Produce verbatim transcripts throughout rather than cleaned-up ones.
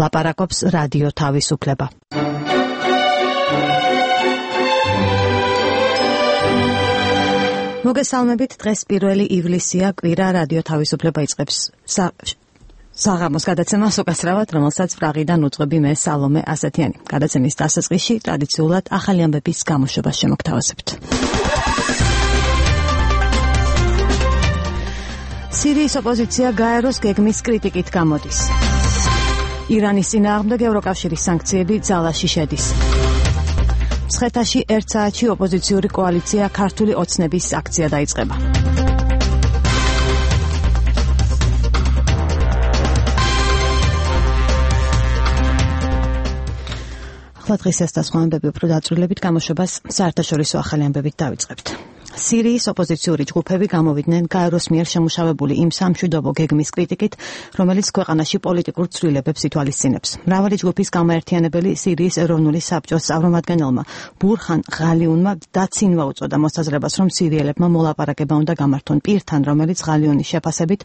ლაპარაკობს რადიო თავისუფლება. მოგესალმებით, დღეს პირველი ივლისია, კვირა, რადიო თავისუფლება იწყებს საღამოს გადაცემას უკასრავად, რომელსაც პრაღიდან უძღვები მე სალომე ასათიანი. გადაცემის დასაწყისში ტრადიციულად ახალი ამბების გამოშვებას შემოგთავაზებთ. სირიის ოპოზიცია გაეროს გეგმის კრიტიკით გამოდის. ირანის წინააღმდეგ ევროკავშირის სანქციები ძალაში შედის. მცხეთაში ერთ საათში ოპოზიციური კოალიცია ქართული ოცნების აქცია დაიწყება. ახლა დღის ეს და სხვა ამბები უფრო დაწვრილებით გამოშვებას საერთაშორისო ახალი ამბებით დავიწყებთ. სირიის ოპოზიციური ჯგუფები გამოვიდნენ გაეროს მიერ შემუშავებული იმ სამშვიდობო გეგმის კრიტიკით, რომელიც ქვეყანაში პოლიტიკურ ცვლილებებს ითვალისწინებს. მრავალი ჯგუფის გამაერთიანებელი სირიის ეროვნული საბჭოს წარმომადგენელმა ბურჰან ღალიუნმა დაცინვა უწოდა მოსაზრებას, რომ სირიელებმა მოლაპარაკება უნდა გამართონ პირთან, რომელიც ღალიუნის შეფასებით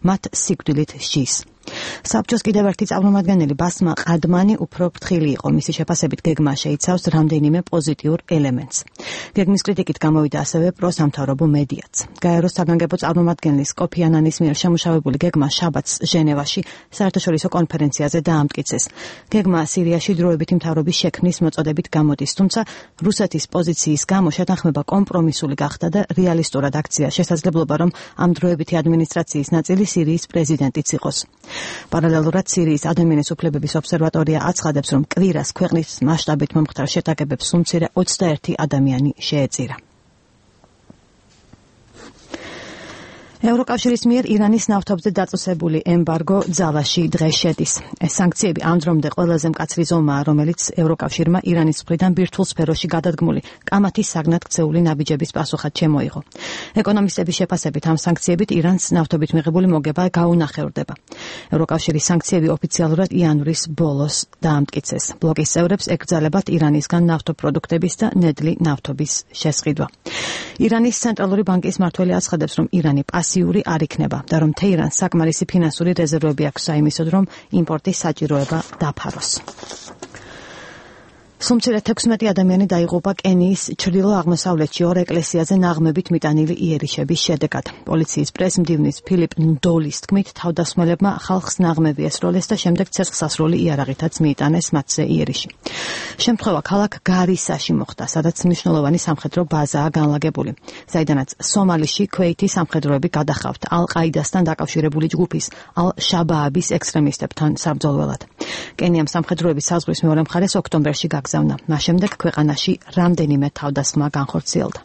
მათ სიკვდილით სჯის. საბჭოს კიდევ ერთი წარმომადგენელი ბასმა ყადმანი უფრო ფრთხილი იყო. მისი შეფასებით გეგმა შეიცავს რამდენიმე პოზიტიურ ელემენტს. გეგმის კრიტიკით გამოვიდა ასევე პროსამთავრობო მედიაც. გაეროს საგანგებო წარმომადგენლის კოფი ანანის მიერ შემუშავებული გეგმა შაბათს ჟენევაში საერთაშორისო კონფერენციაზე დაამტკიცეს. გეგმა სირიაში დროებითი მთავრობის შექმნის მოწოდებით გამოდის, თუმცა რუსეთის პოზიციის გამო შეთანხმება კომპრომისული გახდა და რეალისტურად აქცია შესაძლებლობა, რომ ამ დროებითი ადმინისტრაციის ნაწილი სირიის პრეზიდენტიც იყოს. პარალელურად სირიის ადამიანის უფლებების ობსერვატორია აცხადებს, რომ კვირას ქვეყნის მასშტაბით მომხდარ შეტაკებებს უმცირე ოცდაერთი ადამიანი შეეწირა. ევროკავშირის მიერ ირანის ნავთობზე დაწესებული ემბარგო ძალაში დღეს შედის. ეს სანქციები ამ დრომდე ყველაზე მკაცრი ზომაა, რომელიც ევროკავშირმა ირანის მხრიდან ბირთვულ სფეროში გადადგმული კამათის საგნად ქცეული ნაბიჯების პასუხად შემოიღო. ეკონომისტების შეფასებით ამ სანქციებით ირანს ნავთობით მიღებული მოგება გაუნახევრდება. ევროკავშირის სანქციები ოფიციალურად იანვრის ბოლოს დაამტკიცეს. ბლოკის წევრებს ეკრძალებათ ირანისგან ნავთობპროდუქტების და ნედლი ნავთობის შესყიდვა. ირანის ცენტრალური ბანკის მმართველი აცხადებს, რომ ირანი პასიური არ იქნება და რომ თეირანს საკმარისი ფინანსური რეზერვები აქვს საიმისოდ, რომ იმპორტის საჭიროება დაფაროს. სულ თექვსმეტი ადამიანი დაიღუპა კენიის ჩრდილო-აღმოსავლეთში ორ ეკლესიაზე ნაღმებით მიტანილი იერიშების შედეგად. პოლიციის პრესმდივნის ფილიპ ნდოლის თქმით, თავდასხმელებმა ხალხს ნაღმები ესროლეს და შემდეგ ცეცხლსასროლი იარაღითაც მიიტანეს მათზე იერიში. შემთხვევა ქალაქ გარისაში მოხდა, სადაც მნიშვნელოვანი სამხედრო ბაზაა განლაგებული, საიდანაც სომალიში ქვეითის სამხედროები გადახავთ ალ-ყაიდასთან დაკავშირებული ჯგუფის ალ-შაბააბის ექსტრემისტებთან საბრძოლველად. კენიამ სამხედროების საზღვრის მეორე მხარეს ოქტომბერში გაგზავნა. მას შემდეგ ქვეყანაში რამდენიმე თავდასხმა განხორციელდა.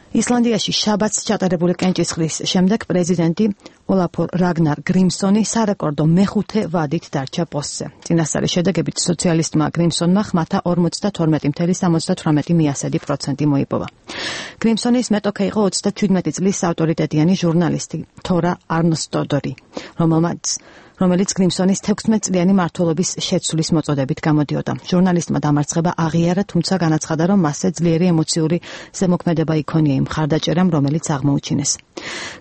ისლანდიაში შაბათს ჩატარებული კენჭისყრის შემდეგ პრეზიდენტი ოლაფურ რაგნარ გრიმსონი სარეკორდო მეხუთე ვადით დარჩა პოსტზე. წინასწარი შედეგებით სოციალისტმა გრიმსონმა ხმათა ორმოცდათორმეტი ფاصლე სამოცდათვრამეტი პროცენტი მოიპოვა. გრიმსონის მეტოქე იყო ოცდაჩვიდმეტი წლის ავტორიტეტიანი ჟურნალისტი თორა არნსტოდორი, რომელმაც რომელიც გრიმსონის თექვსმეტწლიანი მმართველობის შეცვლის მოწოდებით გამოდიოდა. ჟურნალისტმა დამარცხება აღიარა, თუმცა განაცხადა, რომ მასზე ძლიერი ემოციური ზემოქმედება იქონია იმ მხარდაჭერამ, რომელიც აღმოუჩინეს.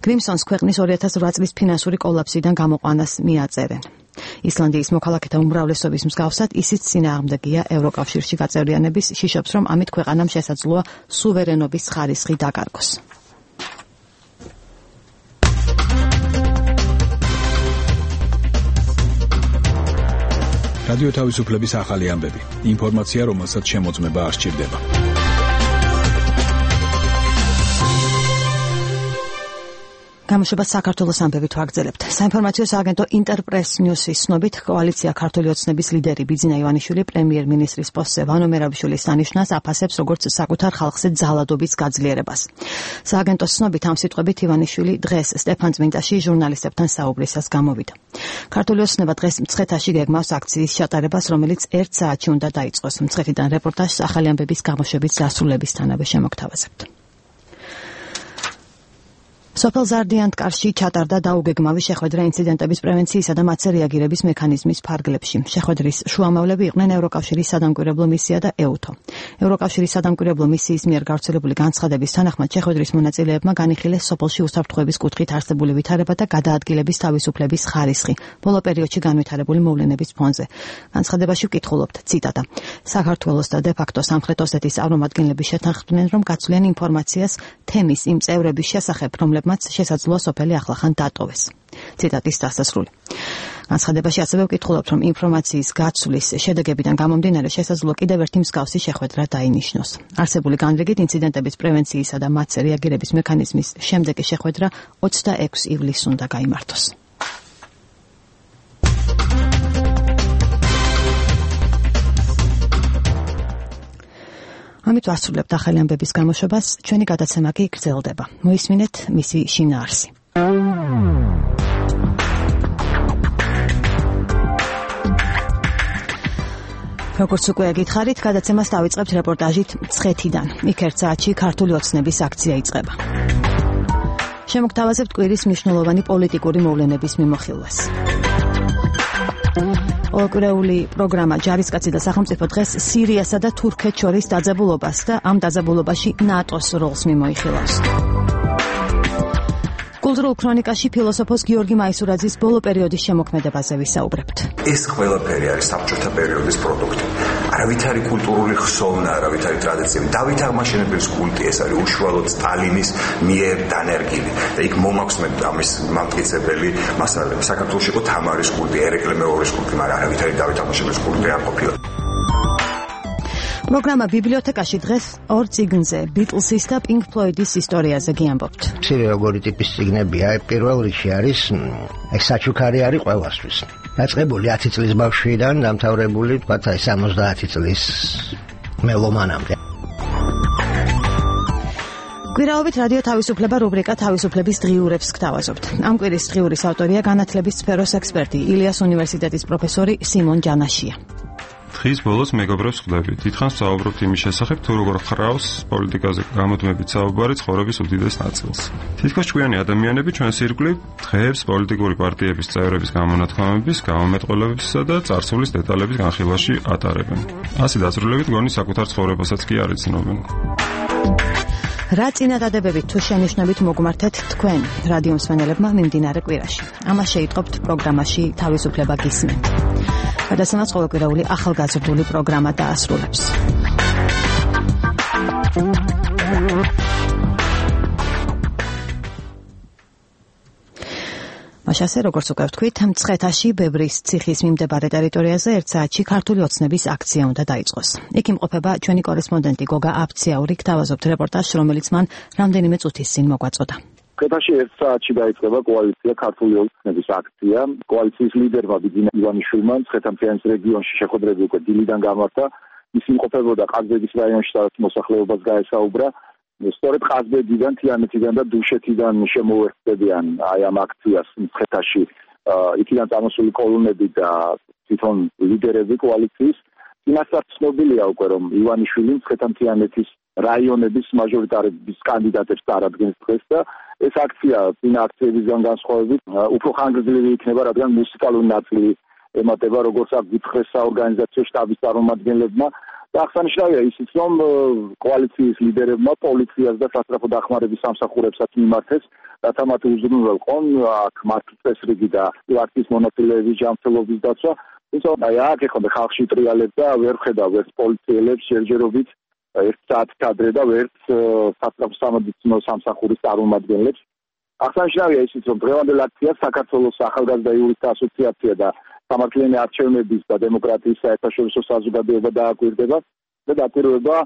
გრიმსონს ქვეყნის ორი ათას ოთხ წლის ფინანსური კოლაფსიდან გამოყვანას მიაწერენ. ისლანდიის მოქალაქეთა უმრავლესობის მსგავსად ისიც წინააღმდეგია ევროკავშირში გაწევრიანების, შიშობს, რომ ამით ქვეყანამ შესაძლოა სუვერენობის ხარისხი დაკარგოს. რადიო თავისუფლების ახალი ამბები. ინფორმაცია, რომელსაც შემოწმება არ სჭირდება. გამოშვებას საქართველოს ამბებით ვაგრძელებთ. საინფორმაციო სააგენტო ინტერპრეს ნიუსის ცნობით, კოალიცია ქართული ოცნების ლიდერი ბიძინა ივანიშვილი პრემიერ-მინისტრის პოსტზე ვანო მერაბიშვილის დანიშვნას აფასებს როგორც საკუთარ ხალხზე ძალადობის გაძლიერებას. სააგენტოს ცნობით ამ სიტყვებით ივანიშვილი დღეს სტეფანწმინდაში ჟურნალისტებთან საუბრისას გამოვიდა. ქართული ოცნება დღეს მცხეთაში გეგმავს აქციის ჩატარებას, რომელიც ერთ საათში უნდა დაიწყოს. მცხეთიდან რეპორტაჟს ახალი ამბების გამოშვების დასრულებისთანავე შემოგთავაზებთ. სოფელ ზარდიანთკარში ჩატარდა დაუგეგმავი შეხვედრა ინციდენტების პრევენციისა და მათზე რეაგირების მექანიზმის ფარგლებში. შეხვედრის შუამავლები იყვნენ ევროკავშირის სადამკვირვებლო მისია და ეუთო. ევროკავშირის სადამკვირვებლო მისიის მიერ გავრცელებული განცხადების თანახმად შეხვედრის მონაწილეებმა განიხილეს სოფელში უსაფრთხოების კუთხით არსებული ვითარება და გადაადგილების თავისუფლების ხარისხი ბოლო პერიოდში განვითარებული მოვლენების ფონზე. განცხადებაში ვკითხულობთ, ციტატა: საქართველოს და დე-ფაქტო სამხრეთ ოსეთის წარმომადგენლები შეთანხმდნენ, რომ გაცვლიან ინფორმაციას თემის იმ წევრების შესახებ, რომლებმაც შესაძლოა სოფელი ახლახან დატოვეს. ციტატის დასასრული. განცხადებაში ასევე ვკითხულობთ, რომ ინფორმაციის გაცვლის შედეგებიდან გამომდინარე შესაძლოა კიდევ ერთი მსგავსი შეხვედრა დაინიშნოს. არსებული განრიგით ინციდენტების პრევენციისა და მათზე რეაგირების მექანიზმის შემდეგი შეხვედრა ოცდაექვსი ივლისს უნდა გაიმართოს. ამით ვასრულებთ ახალი ამბების გამოშვებას, ჩვენი გადაცემა კი გრძელდება. მოისმინეთ მისი შინაარსი. როგორც უკვე გითხარით, გადაცემას დავიწყებთ რეპორტაჟით მცხეთიდან. იქ ერთ საათში ქართული ოცნების აქცია იწყება. შემოგთავაზებთ კვირის მნიშვნელოვანი პოლიტიკური მოვლენების მიმოხილვას. ოკრეული პროგრამა ჯარისკაცი და სახელმწიფო დღეს სირიასა და თურქეთს შორის დაძაბულობას და ამ დაძაბულობაში ნატოს როლს მიმოიხილავს. კულტურულ ქრონიკაში ფილოსოფოს გიორგი მაისურაძის ბოლო პერიოდის შემოქმედებაზე ვისაუბრებთ. ეს ყველაფერი არის საბჭოთა პერიოდის პროდუქტი. არავითარი კულტურული ხსოვნა, არავითარი ტრადიცია. დავით აღმაშენებლის კულტი ეს არის უშუალოდ სტალინის მიერ დანერგილი. და იქ მომაქვს მე ამის მამტკიცებელი მასალები. საქართველოში იყო თამარის კულტი, ერეკლე მეორის კულტი, მაგრამ არავითარი დავით აღმაშენებლის კულტი არ ყოფილა. პროგრამა ბიბლიოთეკაში დღეს ორ წიგნზე, ბიტლსის და პინკ ფლოიდის ისტორიაზე გიამბობთ. მცირე როგორი ტიპის წიგნებია, პირველ რიგში არის ეს საჩუქარი არის ყველასთვის. დაწყებული ათი წლის ბავშვიდან დამთავრებული, თქვათ, აი სამოცდაათი წლის მელომანამდე. კვირაობით რადიო თავისუფლება რუბრიკა თავისუფლების დღიურებს გთავაზობთ. ამ კვირის დღიურის ავტორია განათლების სფეროს ექსპერტი, ილიას უნივერსიტეტის პროფესორი სიმონ ჯანაშია. დღის ბოლოს მეგობრებს ხვდები. დიდხანს ვსაუბრობთ იმის შესახებ, თუ როგორ ხრავს პოლიტიკაზე გამოდმებით საუბარი ცხოვრების უდიდეს ნაწილს. თითქოს ჭკვიანი ადამიანები ჩვენს ირგვლივ დღეებს პოლიტიკური პარტიების წევრების გამონათქვამების, გამომეტყველებებისა და წარსულის დეტალების განხილვაში ატარებენ. ასე დაწვრილებით გონი საკუთარ ცხოვრებასაც კი არ იცნობენ. რა წინადადებებით თუ შენიშვნებით მოგმართეთ თქვენ რადიო მსმენელებმა მიმდინარე კვირაში. ამას შეიტყობთ პროგრამაში თავისუფლება გისმენთ. გადაცემას ყოველკვირეული ახალგაზრდული პროგრამა დაასრულებს. მაშასე, როგორც უკვე ვთქვით, მცხეთაში ბებრის ციხის მიმდებარე ტერიტორიაზე ერთ საათში ქართული ოცნების აქცია უნდა დაიწყოს. იქ იმყოფება ჩვენი კორესპონდენტი გოგა აბციაური, გთავაზობთ რეპორტაჟს, რომელიც მან რამდენიმე წუთის წინ მოგვაწოდა. მცხეთაში ერთ საათში დაიწყება კოალიცია ქართული ოცნების აქცია. კოალიციის ლიდერმა ბიძინა ივანიშვილმა მცხეთ-მთიანეთის რეგიონში შეხვედრები უკვე დილიდან გამართა. ის იმყოფებოდა ყაზბეგის რაიონში, სადაც მოსახლეობას გაესაუბრა. სწორედ ყაზბეგიდან, თიანეთიდან და დუშეთიდან შემოუერთდებიან აი ამ აქციას მცხეთაში იქიდან წამოსული კოლონები და თვითონ ლიდერები კოალიციის. იმასაც ცნობილია უკვე, რომ ივანიშვილი მცხეთ-მთიანეთის რაიონების მაჟორიტარების კანდიდატებს წარადგენს დღეს და ეს აქცია წინა აქციებისგან განსხვავებით უფრო ხანგრძლივი იქნება, რადგან მუსიკალური ნაწილი ემატება, როგორც აქ გითხრეს საორგანიზაციო შტაბის წარმომადგენლებმა. და აღსანიშნავია ისიც, რომ კოალიციის ლიდერებმა პოლიციას და სასწრაფო დახმარების სამსახურებსაც მიმართეს, რათა მათ უზრუნველყონ აქ მართლ წესრიგი და პარტიის მონაწილეების ჯანმრთელობის დაცვა. თუმცა აი აქ ეხლა ხალხში ტრიალებს და ვერ ხედავ ერთ პოლიციელებს ჯერჯერობით ერთ საათი ადრე და ვერც სასწრაფო სამედიცინო სამსახურის წარმომადგენლებს. აღსანიშნავია ისიც, რომ დღევანდელ აქციას საქართველოს ახალგაზრდა იურისტთა ასოციაცია და სამართლიანი არჩევნების და დემოკრატიის საერთაშორისო საზოგადოება დააკვირდება და დაკვირვება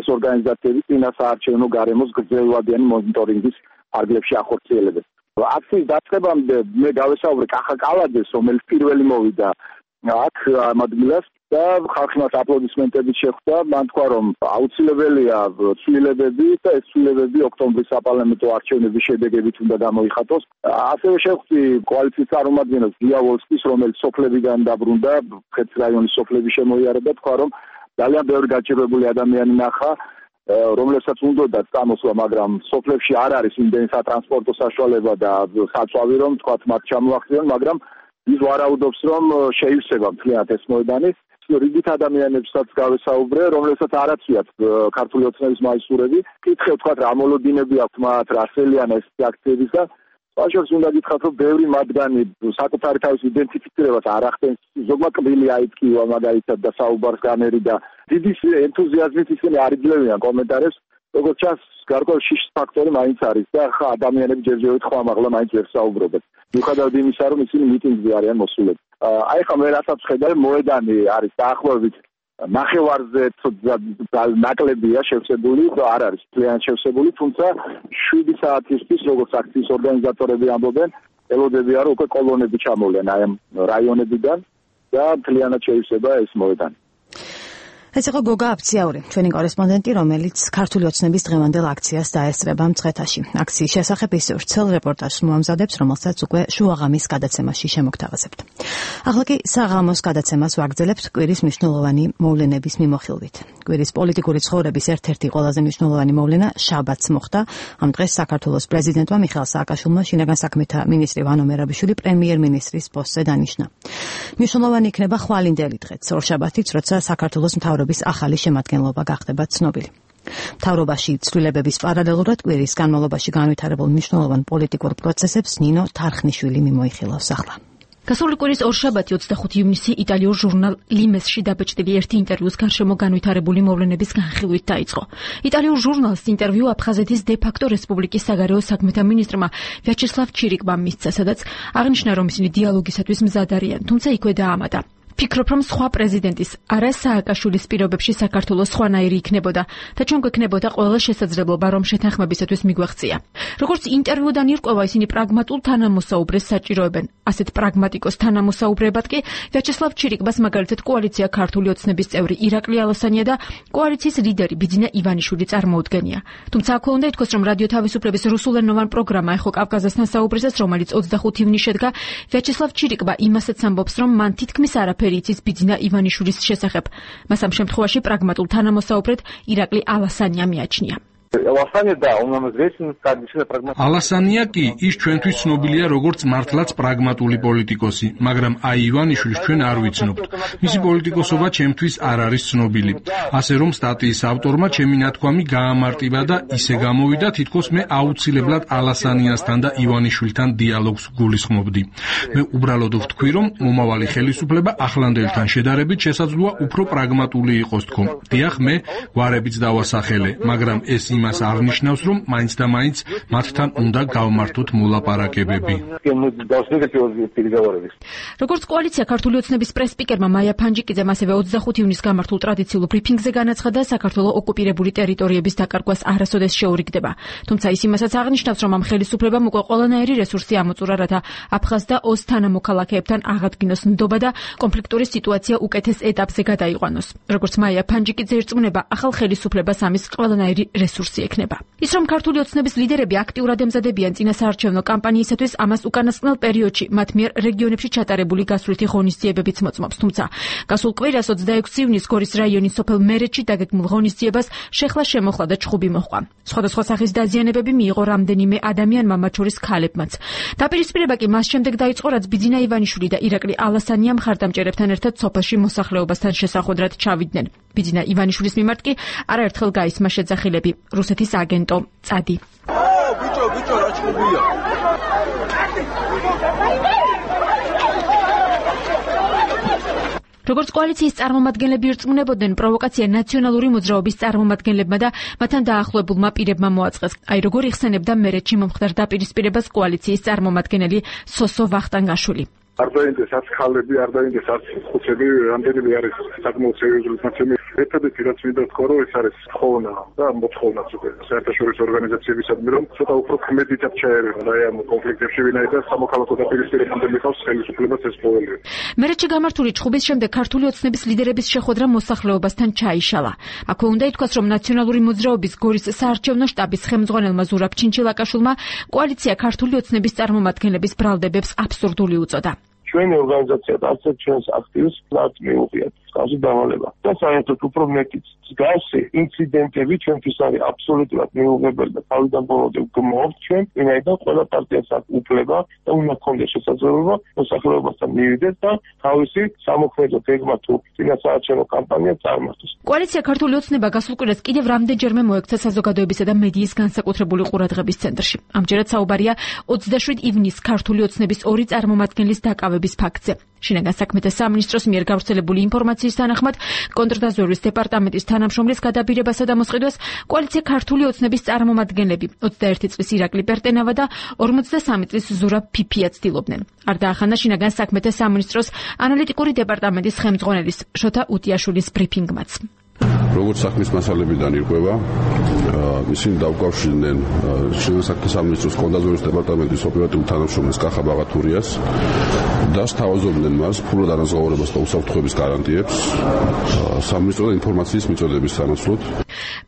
ეს ორგანიზაციები წინა საარჩევნო გარემოს გრძელვადიანი მონიტორინგის ფარგლებში ახორციელებენ. აქციის დაწყებამდე მე გავესაუბრე კახა კალაძეს, რომელიც პირველი მოვიდა აქ ამ ადგილას და ხალხი მას აპლოდისმენტებით შეხვდა. მან თქვა, რომ აუცილებელია ცვლილებები და ეს ცვლილებები ოქტომბრის საპარლამენტო არჩევნების შედეგებით უნდა გამოიხატოს. ასევე შეხვდი კოალიციის წარმომადგენელს გიავოლსკის, რომელიც სოფლებიდან დაბრუნდა, მცხეთის რაიონის სოფლების შემოიარა და თქვა, რომ ძალიან ბევრი გაჭირვებული ადამიანი ნახა რომლებსაც უნდა წამოსვა, მაგრამ სოფლებში არ არის იმდენი სატრანსპორტო საშუალება და საწვავი, რომ თქვათ მათ ჩამოახდიან, მაგრამ ის ვარაუდობს, რომ შეივსება მთლიანად ეს მოედანი. რიგით ადამიანებსაც გავესაუბრე, რომლებსაც არ აცვიათ ქართული ოცნების მაისურები. კითხე თქვათ რა მოლოდინები აქვთ მათ, რა სელიან ეს აქციების და საშუალებას უნდა გითხრათ, რომ ბევრი მათგანი საკუთარი თავის იდენტიფიცირებას არ ახდენს. ზოგმა კბილი აიწკივა მაგალითად და საუბარს განერი და დიდი ენთუზიაზმით ისინი არ იძლევიან კომენტარებს. როგორც ჩანს, გარკვეულ შიშის ფაქტორი მაინც არის და ხა ადამიანები ჯერჯერობით ხმამაღლა მაინც ვერ საუბრობენ. მიუხედავად იმისა, რომ ისინი მიტინგზე არიან მოსულები. აი ხა მე რასაც ხედავ, მოედანი არის დაახლოებით ნახევარზე ნაკლებია შევსებული, არ არის ძალიან შევსებული, თუმცა შვიდი საათისთვის, როგორც აქციის ორგანიზატორები ამბობენ, ელოდებიან, რომ უკვე კოლონები ჩამოვლენ აი ამ რაიონებიდან და მთლიანად შეივსება ეს მოედანი. ეს იყო გოგა აფციაური, ჩვენი კორესპონდენტი, რომელიც ქართული ოცნების დღევანდელ აქციას დაესწრება მცხეთაში. აქციის შესახებ ის ვრცელ რეპორტაჟს მოამზადებს, რომელსაც უკვე შუაღამის გადაცემაში შემოგთავაზებთ. ახლა კი საღამოს გადაცემას ვაგრძელებთ კვირის მნიშვნელოვანი მოვლენების მიმოხილვით. კვირის პოლიტიკური ცხოვრების ერთ-ერთი ყველაზე მნიშვნელოვანი მოვლენა შაბათს მოხდა. ამ დღეს საქართველოს პრეზიდენტმა მიხეილ სააკაშვილმა შინაგან საქმეთა მინისტრი ვანო მერაბიშვილი პრემიერ-მინისტრის პოსტზე დანიშნა. მნიშვნელოვანი იქნება ხვალინდელი დღეც, ორშაბათიც, როცა საქართველოს მთავრობის ახალი შემადგენლობა გახდება ცნობილი. მთავრობაში ცვლილებების პარალელურად კვირის განმავლობაში განვითარებულ მნიშვნელოვან პოლიტიკურ პროცესებს ნინო თარხნიშვილი მიმოიხილავს ახლა. გასული კვირის ორშაბათი ოცდახუთი ივნისი იტალიურ ჟურნალ ლიმესში დაბეჭდილი ერთი ინტერვიუს გარშემო განვითარებული მოვლენების განხილვით დაიწყო. იტალიურ ჟურნალს ინტერვიუ აფხაზეთის დე-ფაქტო რესპუბლიკის საგარეო საქმეთა მინისტრმა ვიაჩესლავ ჩირიკმა მისცა, სადაც აღნიშნა, რომ ისინი დიალოგისათვის მზად არიან, თუმცა იქვე დაამატა. ფიქრობ, რომ სხვა პრეზიდენტის არა სააკაშვილის პირობებში საქართველოს სხვანაირი იქნებოდა და ჩვენ გვექნებოდა ყველა შესაძლებლობა, რომ შეთანხმებისათვის მიგვეღწია. როგორც ინტერვიუდან ირკვევა, ისინი პრაგმატულ თანამოსაუბრეს საჭიროებენ. ასეთ პრაგმატიკოს თანამოსაუბრებად კი ვიაჩესლავ ჩირიკბას მაგალითად კოალიცია ქართული ოცნების წევრი ირაკლი ალასანია და კოალიციის ლიდერი ბიძინა ივანიშვილი წარმოუდგენია. თუმცა აქვე უნდა ითქვას, რომ რადიო თავისუფლების რუსულენოვან პროგრამა ეხო კავკაზასთან საუბრისას, რომელიც ოცდახუთი ივნისს შედგა, ვიაჩესლავ ჩირიკბა იმასაც ამბობს, რომ მან თითქმის არაფერი იცის ბიძინა ივანიშვილის შესახებ. მას ამ შემთხვევაში პრაგმატულ თანამოსაუბრედ ირაკლი ალასანია მიაჩნია. ალასანია კი ის ჩვენთვის ცნობილია როგორც მართლაც პრაგმატული პოლიტიკოსი, მაგრამ აი ივანიშვილს ჩვენ არ ვიცნობთ. მისი პოლიტიკოსობა ჩემთვის არ არის ცნობილი. ასე რომ სტატიის ავტორმა ჩემი ნათქვამი გაამარტივა და ისე გამოვიდა, თითქოს მე აუცილებლად ალასანიასთან და ივანიშვილთან დიალოგს გულისხმობდი. მე უბრალოდ ვთქვი, რომ მომავალი ხელისუფლება ახლანდელთან შედარებით შესაძლოა უფრო პრაგმატული იყოს თქო. დიახ, მე გვარებიც დავასახელე, მაგრამ ეს იმას არ ნიშნავს, რომ მაინც და მაინც მათთან უნდა გავმართოთ მოლაპარაკებები. როგორც კოალიცია ქართული ოცნების პრეს-სპიკერმა მაია ფანჯიკიძემ ასევე ოცდახუთი ივნისს გამართულ ტრადიციულ ბრიფინგზე განაცხადა, საქართველოს ოკუპირებული ტერიტორიების დაკარგვას არასოდეს შეურიგდება. თუმცა ის იმასაც აღნიშნავს, რომ ამ ხელისუფლებამ უკვე ყველანაირი რესურსი ამოწურა, რათა აფხაზ და ოს თანამოქალაქეებთან აღადგინოს ნდობა და კონფლიქტური სიტუაცია უკეთეს ეტაპზე გადაიყვანოს. როგორც მაია ფანჯიკიძე ირწმუნება, ახალ ხელისუფლებას ამის ყველანაირი რესურსი ექნება. ის რომ ქართული ოცნების ლიდერები აქტიურად ემზადებიან წინასაარჩევნო კამპანიისათვის, ამას უკანასკნელ პერიოდში მათ მიერ რეგიონებში ჩატარებული გასვლითი ღონისძიებებიც მოწმობს. თუმცა გასულ კვირას ოცდაექვსი ივნისს გორის რაიონის სოფელ მერეთში დაგეგმულ ღონისძიებას შეხლა შემოხლა და ჩხუბი მოჰყვა. სხვადასხვა სახის დაზიანებები მიიღო რამდენიმე ადამიანმა, მათ შორის ქალებმაც. დაპირისპირება კი მას შემდეგ დაიწყო, რაც ბიძინა ივანიშვილი და ირაკლი ალასანია მხარდამჭერებთან ერთად სოფელში მოსახლეობასთან შესახვედრად ჩავიდნენ. ბიძინა ივანიშვილის მიმართ კი არაერთხელ გაისმა შეძახილები. რუსეთის აგენტო წადი. ბიჭო, ბიჭო, რა ჩხუბია? როგორც კოალიციის წარმომადგენლები ირწმუნებოდნენ, პროვოკაცია ნაციონალური მოძრაობის წარმომადგენლებმა და მათთან დაახლოებულმა პირებმა მოაწყეს. აი როგორ იხსენებდა მერეთში მომხდარ დაპირისპირებას კოალიციის წარმომადგენელი სოსო ვახტანგაშვილი. არ დაინტერესებს ხალები, არ დაინტერესებს ხუთები, რამდენიმე არის საკმაოდ სერიოზული მოცემი. ერთადერთი რაც მინდა ვთქვა, რომ ეს არის ხოვნა და მოთხოვნაც უკვე საერთაშორისო ორგანიზაციებისადმი, რომ ცოტა უფრო ქმედითაც ჩაერევენ აი ამ კონფლიქტებში, ვინაიდან სამოქალაქო დაპირისპირებამდე მიყავს ხელისუფლებას ეს ყოველი. მერეთში გამართული ჩხუბის შემდეგ ქართული ოცნების ლიდერების შეხვედრა მოსახლეობასთან ჩაიშალა. აქვე უნდა ითქვას, რომ ნაციონალური მოძრაობის გორის საარჩევნო შტაბის ხელმძღვანელმა ზურაბ ჩინჩილაკაშვილმა კოალიცია ქართული ოცნების წარმომადგენლების ბრალდებებს აბსურდული უწოდა. ჩვენი ორგანიზაცია და არც ჩვენს აქტივს მათ მიუღიათ. ხაზი დავალება. და საერთოდ უფრო მეტიც მსგავსი ინციდენტები ჩვენთვის არის აბსოლუტურად მიუღებელი და თავიდან ბოლომდე გმოვთ ჩვენ, ვინაიდან ყველა პარტიას აქვს უფლება და უნდა ჰქონდეს შესაძლებლობა მოსახლეობასთან მივიდეს და თავისი სამოქმედო გეგმა თუ წინასაარჩევნო კამპანია წარმართოს. კოალიცია ქართული ოცნება გასულ კვირას კიდევ რამდენჯერმე მოექცა საზოგადოებისა და მედიის განსაკუთრებული ყურადღების ცენტრში. ამჯერად საუბარია ოცდაშვიდ ივნისს ქართული ოცნების ორი წარმომადგენლის დაკავების ფაქტზე. შინაგან საქმეთა სამინისტროს მიერ გავრცელებული ინფორმაციის თანახმად კონტრდაზვერვის დეპარტამენტის თანამშრომლის გადაბირებასა და მოსყიდვას კოალიცია ქართული ოცნების წარმომადგენლები ოცდაერთი წლის ირაკლი პერტენავა და ორმოცდასამი წლის ზურაბ ფიფია ცდილობდნენ. არ დაახანა შინაგან საქმეთა სამინისტროს ანალიტიკური დეპარტამენტის ხელმძღვანელის შოთა უტიაშვილის ბრიფინგმაც. როგორც საქმის მასალებიდან ირკვევა, ისინი დაუკავშირდნენ შინაგან საქმეთა სამინისტროს კონტრდაზვერვის დეპარტამენტის ოპერატიული თანამშრომლის კახა ბაღათურიას და სთავაზობდნენ მას ფულად არაზღაურებას და უსაფრთხოების გარანტიებს სამინისტროს ინფორმაციის მიწოდების სანაცვლოდ.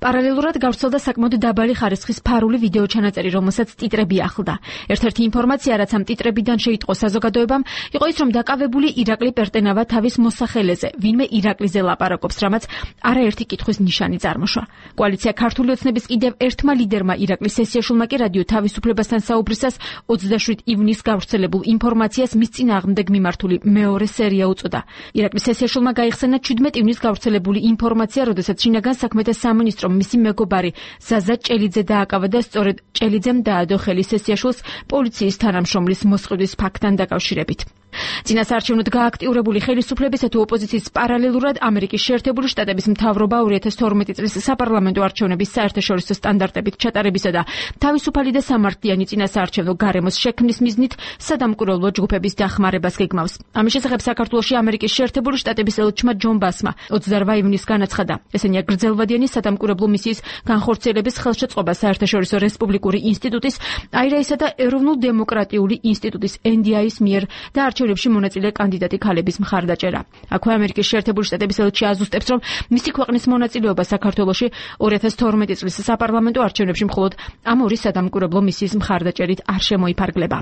პარალელურად გავრცელდა საკმაოდ დაბალი ხარისხის ფარული ვიდეო ჩანაწერი, რომელსაც ტიტრები ახლდა. ერთ-ერთი ინფორმაცია, რაც ამ ტიტრებიდან შეიტყო საზოგადოებამ, იყო ის, რომ დაკავებული ირაკლი პერტენავა თავის მოსახელეზე, ვინმე ირაკლიზე ლაპარაკობს, რამაც არაერთი კითხვის ნიშანი წარმოშვა. კოალიცია ქართული ოცნების კიდევ ერთმა ლიდერმა ირაკლის სესიაშვილმა კი რადიო თავისუფლებასთან საუბრისას ოცდაშვიდ ივნისს გავრცელებულ ინფორმაციას მის წინააღმდეგ მიმართული მეორე სერია უწოდა. ირაკლის სესიაშვილმა გაიხსენა ჩვიდმეტ ივნისს გავრცელებული ინფორმაცია, როდესაც შინაგან საქმეთა სამინისტრომ მისი მეგობარი ზაზა ჭელიძე დააკავა და სწორედ ჭელიძემ დაადო ხელი სესიაშვილს პოლიციის თანამშრომლის მოსყიდვის ფაქტთან დაკავშირებით. წინასაარჩევნოდ გააქტიურებული ხელისუფლებისა თუ ოპოზიციის პარალელურად ამერიკის შეერთებული შტატების მთავრობა ორი ათას თორმეტი წლის საპარლამენტო არჩევნების საერთაშორისო სტანდარტებით ჩატარებისა და თავისუფალი და სამართლიანი წინასაარჩევნო გარემოს შექმნის მიზნით სადამკვირვებლო ჯგუფების დახმარებას გეგმავს. ამის შესახებ საქართველოში ამერიკის შეერთებული შტატების ელჩმა ჯონ ბასმა ოცდაორ ივნისს განაცხადა. ესენია გრძელვადიანი სადამკვირვებლო მისიის განხორციელების ხელშეწყობა საერთაშორისო რესპუბლიკური ინსტიტუტის აირაისა და ეროვნულ-დემოკრატიული ინსტიტუტის ენ დი აის მიერ და არჩევნებში მონაწილე კანდიდატი ქალების მხარდაჭერა. აქვე ამერიკის შეერთებული შტატების ელჩი აზუსტებს, რომ მისი ქვეყნის მონაწილეობა საქართველოში ორი ათას თორმეტი წლის საპარლამენტო არჩევნებში მხოლოდ ამ ორი სადამკვირვებლო მისიის მხარდაჭერით არ შემოიფარგლება.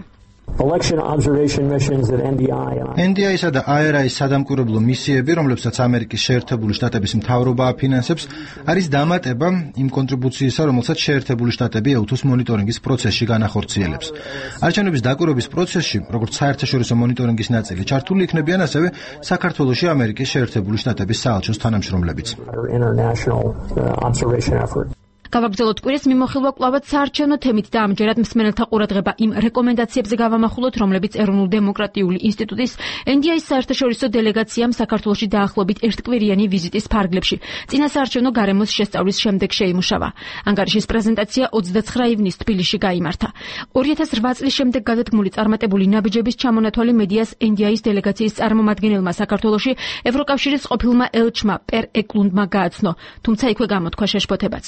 ენ დი აის-ა და აი არ აის სადამკვირვებლო მისიები, რომლებსაც ამერიკის შეერთებული შტატების მთავრობა აფინანსებს, არის დამატება იმ კონტრიბუციისა, რომელსაც შეერთებული შტატები ე უთუს მონიტორინგის პროცესში განახორციელებს. არჩევნების დაკვირვების პროცესში, როგორც საერთაშორისო მონიტორინგის ნაწილი, ჩართული იქნებიან ასევე საქართველოში ამერიკის შეერთებული შტატების საელჩოს თანამშრომლებიც. გავაგრძელოთ კვირის მიმოხილვა კვლავაც საარჩევნო თემით და ამჯერად მსმენელთა ყურადღება იმ რეკომენდაციებზე გავამახვილოთ, რომლებიც ეროვნულ-დემოკრატიული ინსტიტუტის ენ დი აის საერთაშორისო დელეგაციამ საქართველოში დაახლოებით ერთკვირიანი ვიზიტის ფარგლებში წინასაარჩევნო გარემოს შესწავლის შემდეგ შეიმუშავა. ანგარიშის პრეზენტაცია ოცდაცხრა ივნისს თბილისში გაიმართა. ორი ათას რვა წლის შემდეგ გადადგმული წარმატებული ნაბიჯების ჩამონათვალი მედიას ენ დი აის დელეგაციის წარმომადგენელმა საქართველოში ევროკავშირის ყოფილმა ელჩმა პერ ეკლუნდმა გააცნო, თუმცა იქვე გამოთქვა შეშფოთებაც.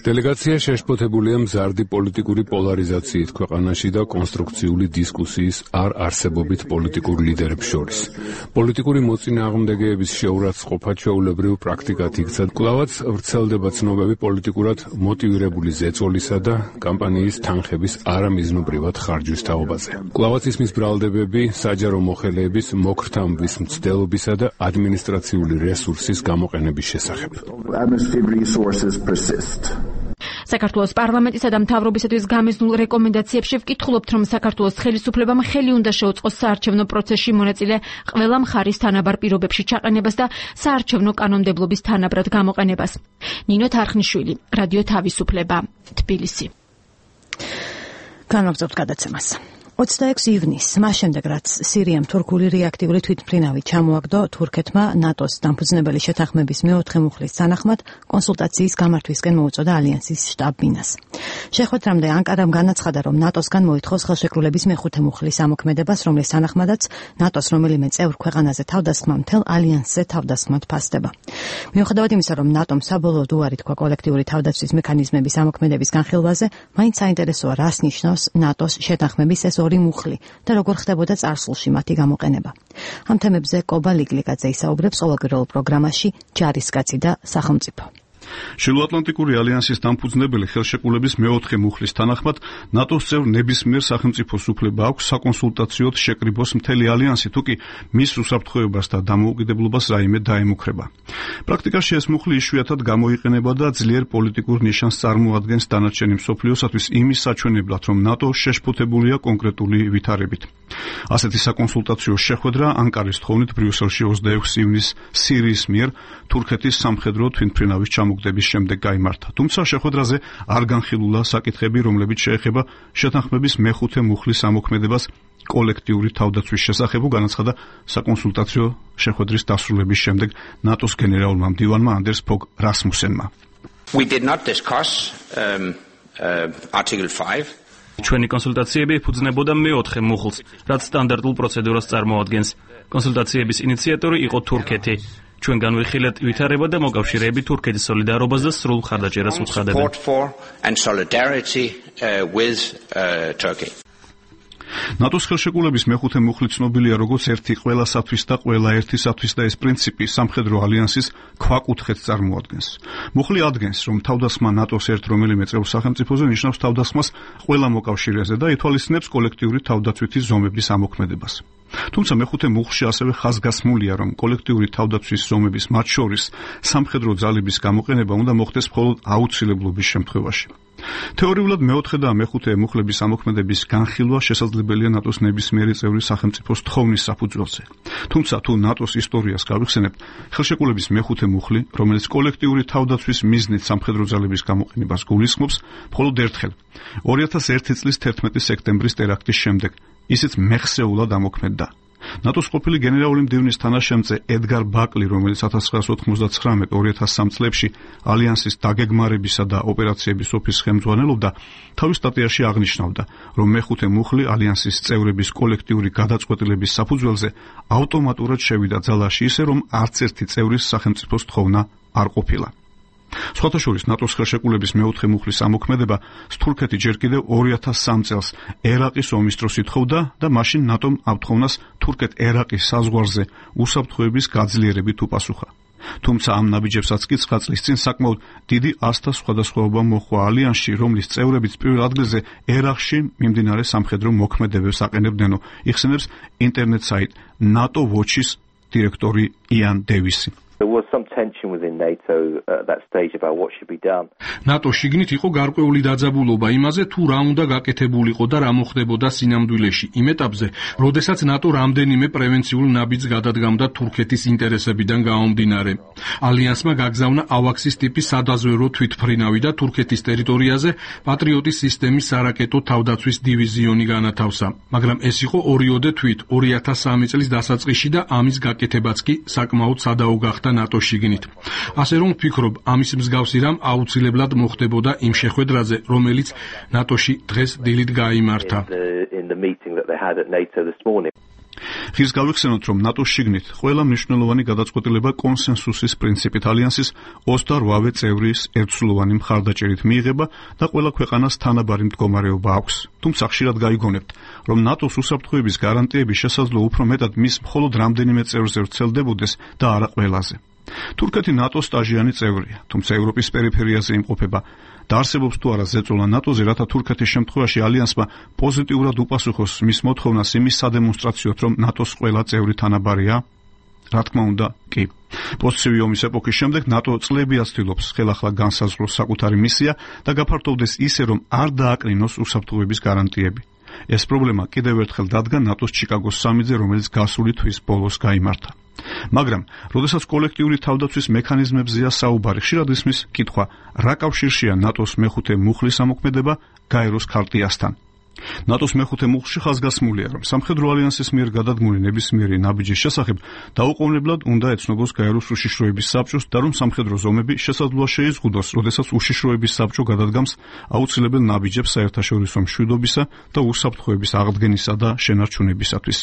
დელეგაცია შეშფოთებულია მზარდი პოლიტიკური პოლარიზაციით ქვეყანაში და კონსტრუქციული დისკუსიის არ არსებობით პოლიტიკურ ლიდერებს შორის. პოლიტიკური მოწინააღმდეგეების შეურაცხყოფა ჩვეულებრივ პრაქტიკად იქცა. კვლავაც ვრცელდება ცნობები პოლიტიკურად მოტივირებული ზეწოლისა და კამპანიის თანხების არამიზნობრივად ხარჯვის თაობაზე. კვლავაც ისმის ბრალდებები საჯარო მოხელეების მოქრთამბის მცდელობისა და ადმინისტრაციული რესურსის გამოყენების შესახებ. საქართველოს პარლამენტისა და მთავრობისათვის გამიზნულ რეკომენდაციებში ვკითხულობთ, რომ საქართველოს ხელისუფლებამ ხელი უნდა შეუწყოს საარჩევნო პროცესში მონაწილე ყველა მხარის თანაბარ პირობებში ჩაყენებას და საარჩევნო კანონმდებლობის თანაბრად გამოყენებას. ნინო თარხნიშვილი, რადიო თავისუფლება, თბილისი. განვაგრძობთ გადაცემას. ოცდაექვსი ივნისს, მას შემდეგ რაც სირიამ თურქული რეაქტიული თვითმფრინავი ჩამოაგდო, თურქეთმა ნატოს დამფუძნებელი შეთანხმების მეოთხე მუხლის თანახმად კონსულტაციის გამართვისკენ მოუწოდა ალიანსის შტაბ-ბინას. შეხვედრამდე ანკარამ განაცხადა, რომ ნატოსგან მოითხოვს ხელშეკრულების მეხუთე მუხლის ამოქმედებას, რომლის თანახმადაც ნატოს რომელიმე წევრ ქვეყანაზე თავდასხმა მთელ ალიანსზე თავდასხმად ფასდება. მიუხედავად იმისა, რომ ნატომ საბოლოოდ უარი თქვა კოლექტიური თავდაცვის მექანიზმების ამოქმედების განხილვაზე, მაინც საინტერესოა, რას ნიშნავს ნატოს შეთანხმების ეს ორი მუხლი და როგორ ხდებოდა წარსულში მათი გამოყენება. ამ თემებზე კობა ლიგლიკაძე ისაუბრებს ყოველკვირეულ პროგრამაში ჯარისკაცი და სახელმწიფო. შილოატლანტიკური ალიანსის დამფუძნებელი ხელშეკრულების მეოთხე მუხლის თანახმად ნატოს წევრ ნებისმიერ სახელმწიფოს უფლება აქვს საკონსულტაციოდ შეკრიბოს მთელი ალიანსი, თუკი მის უსაფრთხოებას და დამოუკიდებლობას რაიმე დაემუქრება. პრაქტიკაში ეს მუხლი იშვიათად გამოიყენება და ძლიერ პოლიტიკურ ნიშანს წარმოადგენს დანარჩენი მსოფლიოსათვის იმის საჩვენებლად, რომ ნატო შეშფოთებულია კონკრეტული ვითარებით. ასეთი საკონსულტაციო შეხვედრა ანკარის თხოვნით ბრიუსელში ოცდაექვსი ივნისს სირიის მიერ თურქეთის სამხედრო თვითმფრინავის ჩამოგდების შემდეგ გაიმართა. თუმცა შეხვედრაზე არ განხილულა საკითხები, რომლებიც შეეხება შეთანხმების მეხუთე მუხლის ამოქმედებას კოლექტიური თავდაცვის შესახებ, განაცხადა საკონსულტაციო შეხვედრის დასრულების შემდეგ ნატოს გენერალურმა მდივანმა ანდერს ფოგ რასმუსენმა. We did not discuss um, uh, Article five. ჩვენი კონსულტაციები ეფუძნებოდა მეოთხე მუხლს, რაც სტანდარტულ პროცედურას წარმოადგენს. კონსულტაციების ინიციატორი იყო თურქეთი. ჩვენ განვიხილეთ ვითარება და მოკავშირეები თურქეთის სოლიდარობას და სრულ მხარდაჭერას უცხადებენ. ნატოს ხელშეკრულების მეხუთე მუხლი ცნობილია როგორც ერთი ყველასათვის და ყველა ერთისათვის და ეს პრინციპი სამხედრო ალიანსის ქვაკუთხედს წარმოადგენს. მუხლი ადგენს, რომ თავდასხმა ნატოს ერთ რომელიმე წევრ სახელმწიფოზე ნიშნავს თავდასხმას ყველა მოკავშირეზე და ითვალისწინებს კოლექტიური თავდაცვითი ზომების ამოქმედებას. თუმცა მეხუთე მუხლში ასევე ხაზგასმულია, რომ კოლექტიური თავდაცვის ზომების მათ შორის სამხედრო ძალების გამოყენება უნდა მოხდეს მხოლოდ აუცილებლობის შემთხვევაში. თეორიულად მეოთხე და მეხუთე მუხლების ამოქმედების განხილვა შესაძლებელია ნატოს ნებისმიერი წევრი სახელმწიფოს თხოვნის საფუძველზე. თუმცა თუ ნატოს ისტორიას გავიხსენებთ, ხელშეკრულების მეხუთე მუხლი, რომელიც კოლექტიური თავდაცვის მიზნით სამხედრო ძალების გამოყენებას გულისხმობს, მხოლოდ ერთხელ ორი ათას ერთი წლის თერთმეტი სექტემბრის ტერაქტის შემდეგ ისიც მეხსეულად ამოქმედდა. ნატოს ყოფილი გენერალური მდივნის თანაშემწე ედგარ ბაკლი, რომელიც ათას ცხრაას ოთხმოცდათხრამეტ ორი ათას სამ წლებში ალიანსის დაგეგმარებისა და ოპერაციების ოფისს ხელმძღვანელობდა, თავის სტატიაში აღნიშნავდა, რომ მეხუთე მუხლი ალიანსის წევრების კოლექტიური გადაწყვეტილების საფუძველზე ავტომატურად შევიდა ძალაში ისე, რომ არც ერთი წევრის სახელმწიფოს თხოვნა არ ყოფილა. სხვათა შორის ნატოს ხელშეკრულების მეოთხე მუხლის ამოქმედება თურქეთი ჯერ კიდევ ორი ათას სამ წელს ერაყის ომის დროს ითხოვდა და მაშინ ნატომ ამ თხოვნას თურქეთ-ერაყის საზღვარზე უსაფრთხოების გაძლიერებით უპასუხა. თუმცა ამ ნაბიჯებსაც კი ცხრა წლის წინ საკმაოდ დიდი ასთა სხვადასხვაობა მოჰყვა ალიანსში, რომლის წევრებიც პირველ ადგილზე ერაყში მიმდინარე სამხედრო მოქმედებებს აყენებდნენო, იხსენებს ინტერნეტ საიტ NATO Watch-ის დირექტორი იან დევისი. There was some tension within NATO at that stage about what should be done. NATO შიგნით იყო გარკვეული დაძაბულობა იმაზე, თუ რა უნდა გაკეთებულიყო და რა მოხდებოდა სინამდვილეში. იმ ეტაპზე, როდესაც NATO რამდენიმე პრევენციულ ნაბიჯს გადადგამდა თურქეთის ინტერესებიდან გამომდინარე. ალიანსმა გაგზავნა ავაქსის ტიპის სადაზვერვო თვითმფრინავი და თურქეთის ტერიტორიაზე პატრიოტის სისტემის სარაკეტო თავდაცვის დივიზიონი განათავსა. მაგრამ ეს იყო ორიოდე თვით ორი ათას სამი წლის დასაწყისში და ამის გაკეთებაც კი საკმაოდ სადაო გახდა ნატოს შიგნით. ასე რომ ვფიქრობ, ამის მსგავსი რამ აუცილებლად მოხდებოდა იმ შეხვედრაზე, რომელიც ნატოში დღეს დილით გაიმართა. ხის გავიხსენოთ, რომ ნატოს შიგნით ყველა მნიშვნელოვანი გადაწყვეტილება კონსენსუსის პრინციპით ალიანსის ოცდაოთხ წევრის ერთსულოვანი მხარდაჭერით მიიღება და ყველა ქვეყანას თანაბარი მდგომარეობა აქვს. თუმცა ხშირად გაიგონებთ, რომ ნატოს უსაფრთხოების გარანტიები შესაძლო უფრო მეტად მის მხოლოდ რამდენიმე წევრზე ვრცელდებოდეს და არა ყველაზე. თურქეთი ნატოს სტაჟიანი წევრია, თუმცა ევროპის პერიფერიაზე იმყოფება და არსებობს თუ არა ზეწოლა ნატოზე, რათა თურქეთის შემთხვევაში ალიანსმა პოზიტიურად უპასუხოს მის მოთხოვნას იმის სადემონსტრაციოდ, რომ ნატოს ყველა წევრი თანაბარია? რა თქმა უნდა, კი. პოსტცივი ომის ეპოქის შემდეგ ნატო წლებია ცდილობს ხელახლა განსაზღვროს საკუთარი მისია და გაფართოვდეს ისე, რომ არ დააკრინოს უსაფრთხოების გარანტიები. ეს პრობლემა კიდევ ერთხელ დადგა ნატოს ჩიკაგოს სამიტზე, რომელიც გასული თვის ბოლოს გაიმართა. მაგრამ, როდესაც კოლექტიური თავდაცვის მექანიზმებზეა საუბარი, ხშირად ისმის კითხვა, რა კავშირშია ნატოს მეხუთე მუხლის ამოქმედება გაეროს ქარტიასთან. ნატოს მეხუთე მუხლში ხაზგასმულია, რომ სამხედრო ალიანსის მიერ გადადგმული ნებისმიერი ნაბიჯის შესახებ დაუყოვნებლად უნდა ეცნობოს გაეროს უშიშროების საბჭოს და რომ სამხედრო ზომები შესაძლოა შეიზღუდოს, როდესაც უშიშროების საბჭო გადადგამს აუცილებელ ნაბიჯებს საერთაშორისო მშვიდობისა და უსაფრთხოების აღდგენისა და შენარჩუნებისათვის.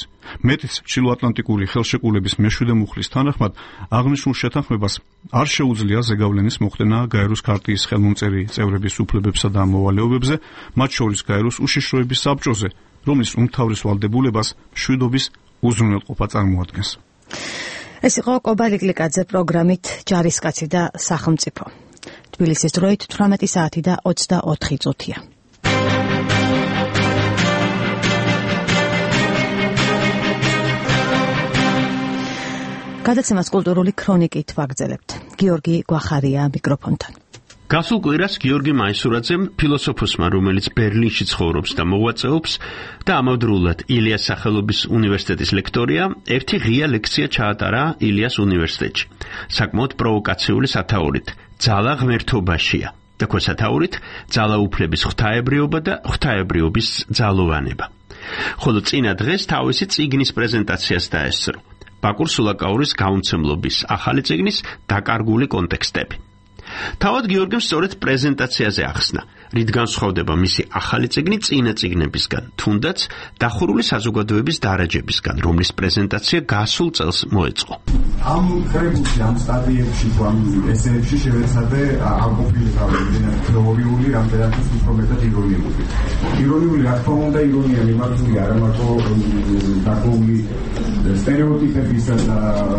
მეტიც, ჩრდილოატლანტიკური ხელშეკრულების მეშვიდე მუხლის თანახმად აღნიშნულ შეთანხმებას არ შეუძლია ზეგავლენის მოხდენა გაეროს ქარტიის ხელმომწერი წევრების უფლებებსა და მოვალეობებზე, მათ შორის გაეროს უშიშროების საბჭოზე, რომლის უმთავრეს ვალდებულებას მშვიდობის უზრუნველყოფა წარმოადგენს. ეს იყო კობალი გლიკაძე პროგრამით ჯარისკაცი და სახელმწიფო. თბილისის დროით თვრამეტი საათი და ოცდაოთხი წუთია. გადაცემას კულტურული ქრონიკით ვაგრძელებთ. გიორგი გვახარია მიკროფონთან. გასულ კვირას გიორგი მაისურაძემ ფილოსოფოსმა, რომელიც ბერლინში ცხოვრობს და მოღვაწეობს და ამავდროულად ილიას სახელობის უნივერსიტეტის ლექტორია, ერთი ღია ლექცია ჩაატარა ილიას უნივერსიტეტში. საკმაოდ პროვოკაციული სათაურით ძალა ღმერთობაშია და ქვესათაურით ძალაუფლების ღვთაებრიობა და ღვთაებრიობის ძალოვანება. ხოლო წინა დღეს თავისი წიგნის პრეზენტაციას დაესწრო. ბაკურ სულაკაურის გაუმცემლობის ახალი წიგნის დაკარგული კონტექსტები. თავად გიორგიმ სწორედ პრეზენტაციაზე ახსნა, რით განსხვავდება მისი ახალი წიგნი წინა წიგნებისგან, თუნდაც დახურული საზოგადოების დარაჯებისგან, რომლის პრეზენტაცია გასულ წელს მოეწყო. ამ კრებულში, ამ სტატიებში, ამ ესეებში შევეცადე ალკოფილი გავიგე თეორიული, რამდენად უფრო მეტად ირონიული. ირონიული, რა თქმა უნდა, ირონია მიმართული არა მარტო დაკრული სტერეოტიპებისა და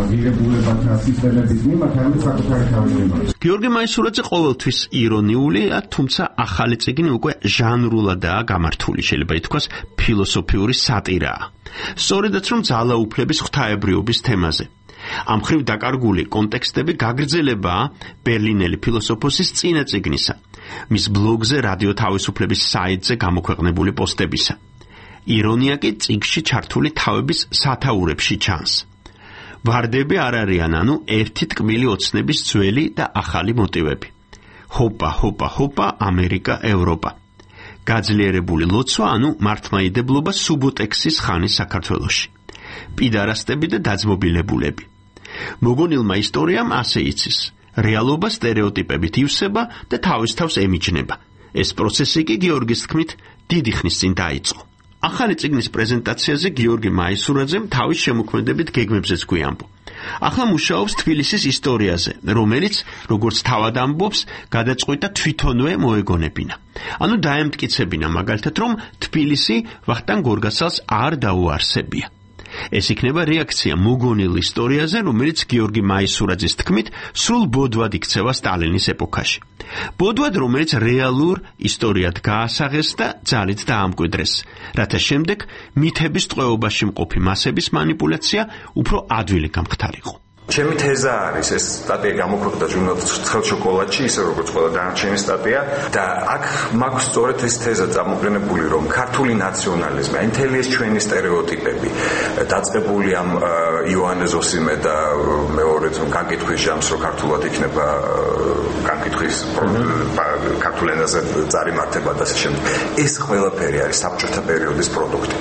ღირებულებათა სისტემების მიმართ, არამედ საკუთარი თავის მიმართ. გიორგი მაისურაძე ყოველთვის ირონიულია, თუმცა ახალი წიგნი უკვე ჟანრულადაა გამართული, შეიძლება ითქვას ფილოსოფიური სატირაა. სწორედაც რომ ძალაუფლების ღვთაებრიობის თემაზე. ამ მხრივ დაკარგული კონტექსტები გაგრძელებაა ბერლინელი ფილოსოფოსის წინა წიგნისა, მის ბლოგზე რადიო თავისუფლების საიტზე გამოქვეყნებული პოსტებისა. ირონია კი წიგნში ჩართული თავების სათაურებში ჩანს. ვარდები არ არიან, ანუ ერთი ტკბილი ოცნების ძველი და ახალი მოტივები. ჰოპა, ჰოპა, ჰოპა, ამერიკა, ევროპა. გაძლიერებული ლოცვა, ანუ მართლმაიდებლობა სუბოტექსის ხანის საქართველოში. პიდარასტები და დაძმობილებულები. მოგონილმა ისტორიამ ასე იცის. რეალობა სტერეოტიპებით ივსება და თავის თავს ემიჯნება. ეს პროცესი კი გიორგის თქმით დიდი ხნის წინ დაიწყო. ახალი წიგნის პრეზენტაციაზე გიორგი მაისურაძემ თავის შემოქმედებით გეგმებზეც გვიამბო. ახლა მუშაობს თბილისის ისტორიაზე, რომელიც, როგორც თავად ამბობს, გადაწყვიტა თვითონვე მოეგონებინა. ანუ დაემტკიცებინა მაგალითად, რომ თბილისი ვახტანგ გორგასალს არ დაუარსებია. ეს იქნება რეაქცია მოგონილ ისტორიაზე, რომელიც გიორგი მაისურაძის თქმით სრულ ბოდვად იქცევა სტალინის ეპოქაში. ბოდვად, რომელიც რეალურ ისტორიად გაასაღეს და ძალით დაამკვიდრეს, რათა შემდეგ მითების ტყვეობაში მყოფი მასების манипуляცია უფრო ადვილი გამხდარიყო. ჩემი თეზა არის, ეს სტატია გამოქვეყნდა ჟურნალ ცხელ შოკოლადში, ისე როგორც ყველა დანარჩენი სტატია და აქ მაქვს სწორედ ეს თეზა წამოყენებული, რომ ქართული ნაციონალიზმი, მთელი ეს ჩვენი სტერეოტიპები, დაწყებული ამ იოანე ზოსიმე და მეორეც განკითხვის ჟამს, რომ ქართულად იქნება განკითხვის ქართულ ენაზე წარიმართება და ასე შემდეგ. ეს ყველაფერი არის საბჭოთა პერიოდის პროდუქტი.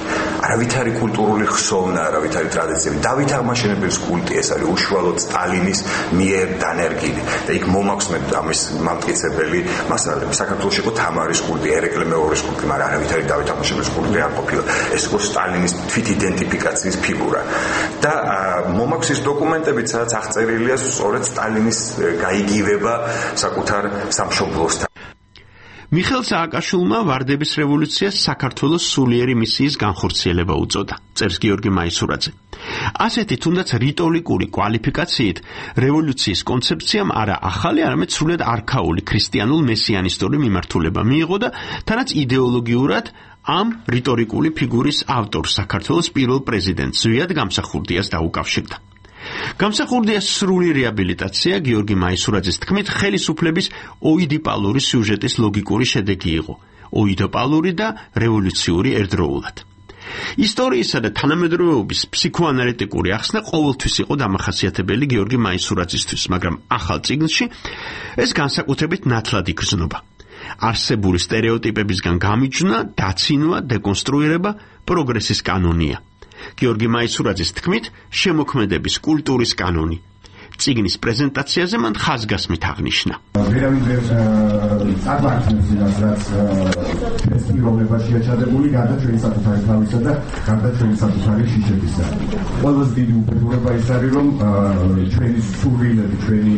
არავითარი კულტურული ხსოვნა, არავითარი ტრადიციები, დავით აღმაშენებლის კულტი, ეს არის უშუალოდ სტალინის მიერ დანერგილი და იქ მომაქვს მე ამის მამტკიცებელი მასალები. საქართველოში იყო თამარის კულტი, ერეკლე მეორის კულტი, მაგრამ არავითარი დავით აღმაშენებლის კულტი არ ყოფილა. ეს იყო სტალინის თვით იდენტიფიკაციის ფიგურა. და მომაქვს ის დოკუმენტებიც, სადაც აღწერილია სწორედ სტალინის გაიგივება საკუთარ სამშობლოსთან. მიხეილ სააკაშვილმა ვარდების რევოლუციას საქართველოს სულიერი მისიის განხორციელება უწოდა, წერს გიორგი მაისურაძე. ასეთი თუნდაც რიტორიკული კვალიფიკაციით რევოლუციის კონცეფციამ არა ახალი, არამედ სრულად არქაული ქრისტიანულ მესიანისტური მიმართულება მიიღო და თანაც იდეოლოგიურად ამ რიტორიკული ფიგურის ავტორს, საქართველოს პირველ პრეზიდენტს ზვიად გამსახურდიას დაუკავშირდა. გამსახურდიას სრული რეაბილიტაცია გიორგი მაისურაძის თქმით ხელისუფლების ოიდიპალური სიუჟეტის ლოგიკური შედეგი იყო, ოიდიპალური და რევოლუციური ერთდროულად. ისტორიისა და თანამედროვეობის ფსიქოანალიტიკური ახსნა ყოველთვის იყო დამახასიათებელი გიორგი მაისურაძისთვის, მაგრამ ახალ წიგნში ეს განსაკუთრებით ნათლად იგრძნობა. არსებული სტერეოტიპებისგან გამიჯვნა, დაცინვა, დეკონსტრუირება პროგრესის კანონია. გიორგი მაისურაძის თქმით, შემოქმედების კულტურის კანონი. წიგნის პრეზენტაციაზე მან ხაზგასმით აღნიშნა. ვერავინ ვერ წარვართმევს იმას, რაც ეს პიროვნებაში აჩადებული, გარდა ჩვენი საკუთარი თავისა და გარდა ჩვენი საკუთარი შიშებისა. ყველაზე დიდი უფლებება ის არის, რომ ჩვენი სურვილები, ჩვენი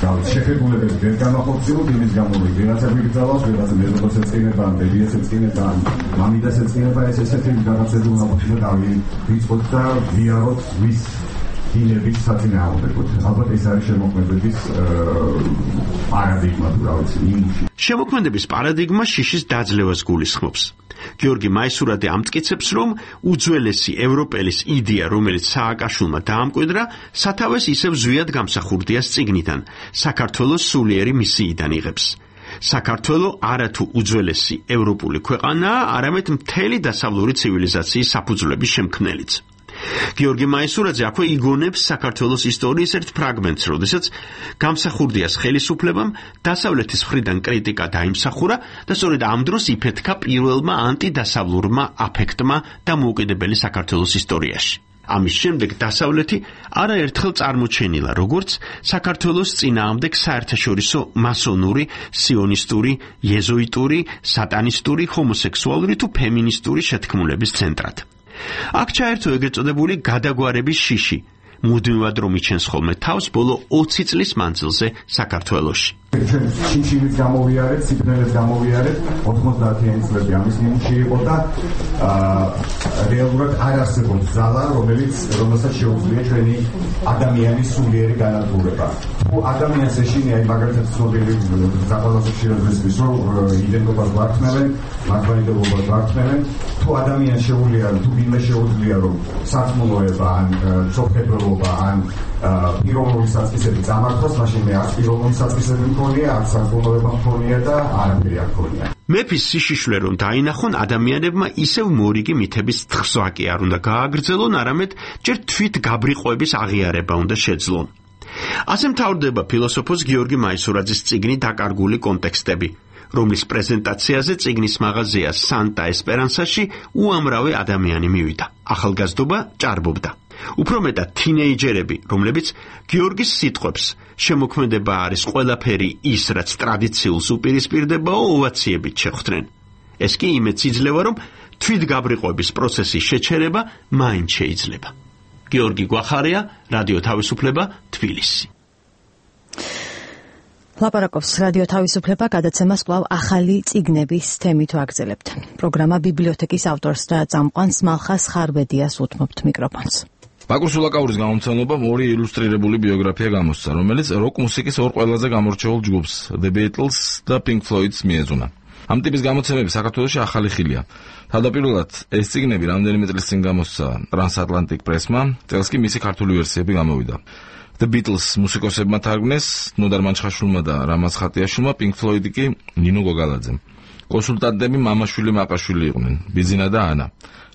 შეხებულებები ვერ გამახორციელოთ იმის გამო, რომ ვიღაცა გვიგზავნოს, ვიღაცა მეზობელს ეწინება, ბებიას ეწინება, მამიდას ეწინება, ეს ესეთი რაღაცები უნდა ყოფილიყო და ვიცხოთ და ვიაროთ ვის დინების საწინააღმდეგოდ. ალბათ ეს არის შემოქმედების პარადიგმა, თუ რა ვიცი, იმუში. შემოქმედების პარადიგმა შიშის დაძლევას გულისხმობს. გიორგი მაისურაძე ამტკიცებს, რომ უძველესი ევროპელის იდეა, რომელიც სააკაშვილმა დაამკვიდრა, სათავეს ისევ ზვიად გამსახურდიას წიგნიდან, საქართველოს სულიერი მისიიდან იღებს. საქართველო არათუ უძველესი ევროპული ქვეყანაა, არამედ მთელი დასავლური ცივილიზაციის საფუძვლების შემქმნელიც. გიორგი მაისურაძე აქვე იგონებს საქართველოს ისტორიის ერთ ფრაგმენტს, როდესაც გამსახურდიას ხელისუფლებამ დასავლეთის მხრიდან კრიტიკა დაიმსახურა და სწორედ ამ დროს იფეთქა პირველმა ანტიდასავლურმა აფექტმა დამოუკიდებელი საქართველოს ისტორიაში. ამის შემდეგ დასავლეთი არაერთხელ წარმოჩენილა როგორც საქართველოს წინააღმდეგ საერთაშორისო მასონური, სიონისტური, იეზუიტური, სატანისტური, ჰომოსექსუალური თუ ფემინისტური შეთქმულების ცენტრად. აქ ჩაერთო ეგრეთ წოდებული გადაგვარების შიში, მუდმივად რომ იჩენს ხოლმე თავს ბოლო ოცი წლის მანძილზე საქართველოში. ჩვენ შიშის გამოვიარეთ, სიგნალებს გამოვიარეთ, ოცდაათიანი წლები ამის ნიმუში იყო და რეალურად არ არსებობს ზალა, რომელიც რომელსაც შეუძლია ჩვენი ადამიანის სულიერი განადგურება. თუ ადამიანს ეშინია, აი მაგალითად ცნობილი ზაყალას შეიძლება რომ იდენტობას ვარქმევენ, მართლმადიდებლობას ვარქმევენ, თუ ადამიანს შეუძლია, თუ ვინმე შეუძლია რომ სათმულოება ან სოფლმეურნეობა ან პიროვნული საწყისები წამართვას, მაშინ მე არ პიროვნული საწყისები მქონია, არ სათმულოება მქონია და არაფერი არ მქონია. მეფის სიშიშვლე რომ დაინახონ, ადამიანებმა ისევ მორიგი მითების თხსვა კი არ უნდა გააგრძელონ, არამედ ჯერ თვით გაბრიყვების აღიარება უნდა შეძლონ. ასე მთავრდება ფილოსოფოს გიორგი მაისურაძის წიგნი „დაკარგული კონტექსტები“, რომლის პრეზენტაციაზე წიგნის მაღაზია სანტა ესპერანსაში უამრავი ადამიანი მივიდა. ახალგაზრდობა ჭარბობდა. უფრო მეტად თინეიჯერები, რომლებიც გიორგის სიტყვებს შემოქმედება არის ყველაფერი ის, რაც ტრადიციულს უპირისპირდებაო, ოვაციებით შეხვდნენ. ეს კი იმედს იძლევა, რომ თვითგაბრიყვების პროცესის შეჩერება მაინც შეიძლება. გიორგი გვახარია, რადიო თავისუფლება, თბილისი. ლაპარაკობს რადიო თავისუფლება, გადაცემას კვლავ ახალი წიგნების თემით ვაგრძელებთ. პროგრამა ბიბლიოთეკის ავტორს და წამყვანს მალხას ხარბედიას უთმობთ მიკროფონს. ბაკურ სულაკაურის გამომცემლობამ ორი ილუსტრირებული ბიოგრაფია გამოსცა, რომელიც როკ მუსიკის ორ ყველაზე გამორჩეულ ჯგუფს, The Beatles და Pink Floyd-ს მიეძღვნა. ამ ტიპის გამოცემები საქართველოში ახალი ხილია. თავდაპირველად ეს წიგნები რამდენიმე წლის წინ გამოსცა Transatlantic Press-მა, წელს კი მისი ქართული ვერსიები გამოვიდა. The Beatles მუსიკოსებმა თარგმნეს ნოდარ მანჩხაშვილმა და რამაზ ხატიაშვილმა, Pink Floyd კი ნინო გოგალაძემ. კონსულტანტები მამაშვილი მაყაშვილი იყვნენ, ბიძინა და ანა.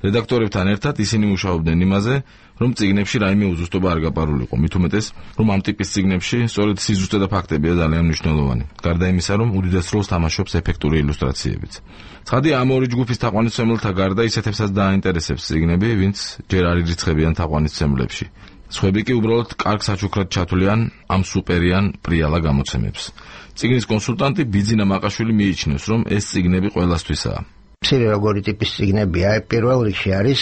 რედაქტორებთან ერთად ისინი მუშაობდნენ იმაზე, რომ წიგნებში რაიმე უზუსტობა არ გაპარულიყო, მით უმეტეს, რომ ამ ტიპის წიგნებში სწორედ სიზუსტე და ფაქტებია ძალიან მნიშვნელოვანი. გარდა იმისა, რომ უდიდეს როლს თამაშობს ეფექტური ილუსტრაციებიც. ცხადია, ამ ორი ჯგუფის თაყვანისმცემელთა გარდა ისეთებსაც დააინტერესებს წიგნები, ვინც ჯერ არ ირიცხებიან თაყვანისმცემლებში. სხვები კი უბრალოდ კარგ საჩუქრად ჩათვლიან ამ სუპერიან პრიალა გამოცემებს. წიგნის კონსულტანტი ბიძინა მაყაშვილი მიიჩნევს, რომ ეს წიგნები ყველასთვისაა. მცირე როგორი ტიპის წიგნებია, პირველ რიგში არის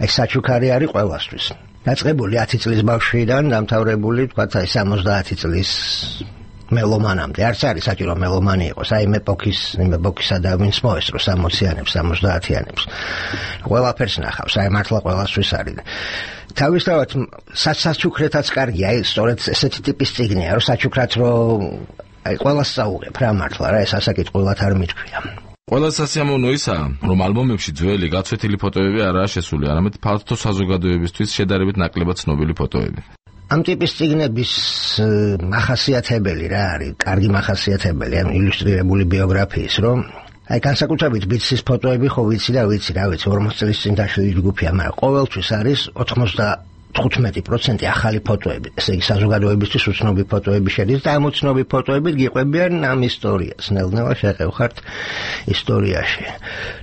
ეს საჩუქარი არის ყველასთვის. დაწყებული ათი წლის ბავშვიდან დამთავრებული, თქვათ, აი სამოცდაათი წლის მელომანამდე. არც არის საჭირო მელომანი იყოს, აი იმ ეპოქის, იმ ეპოქისა და ვინც მოესწრო სამოციანებს, სამოცდაათიანებს. ყველაფერს ნახავს, აი მართლა ყველასთვის არის. თავისთავად საჩუქრეთაც კარგია, აი სწორედ ესეთი ტიპის წიგნია, რომ საჩუქრად რომ აი ყველას წაუღებ რა მართლა რა, ეს ასაკითხულად არ მithქვია. ყველა სასიამოვნო ისაა, რომ ალბომებში ძველი გაცვეთილი ფოტოები არაა შესული, არამედ ფართო საზოგადოებისთვის შედარებით ნაკლებად ცნობილი ფოტოები. ამ ტიპის წიგნების მახასიათებელი რა არის, კარგი მახასიათებელი ამ ილუსტრირებული ბიოგრაფიის, რომ აი განსაკუთრებით ბიცის ფოტოები ხო ვიცი და ვიცი, რა ვიცი, ორმოც წლის წინ დაშვილი ჯგუფია, მაგრამ ყოველთვის არის ოცდათხუთმეტი პროცენტი ახალი ფოტოები. ესე იგი საზოგადოებისთვის უცნობი ფოტოები შედის და ამ უცნობი ფოტოებით გიყვებიან ამ ისტორიას. ნელ-ნელა შეყევხართ ისტორიაში.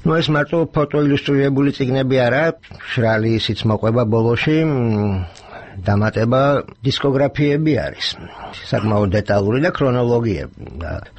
ნუ ეს მარტო ფოტო ილუსტრირებული წიგნები არა, შრალი ისიც მოყვება ბოლოში. დამატება დისკოგრაფიები არის. საკმაოდ დეტალური და ქრონოლოგიები.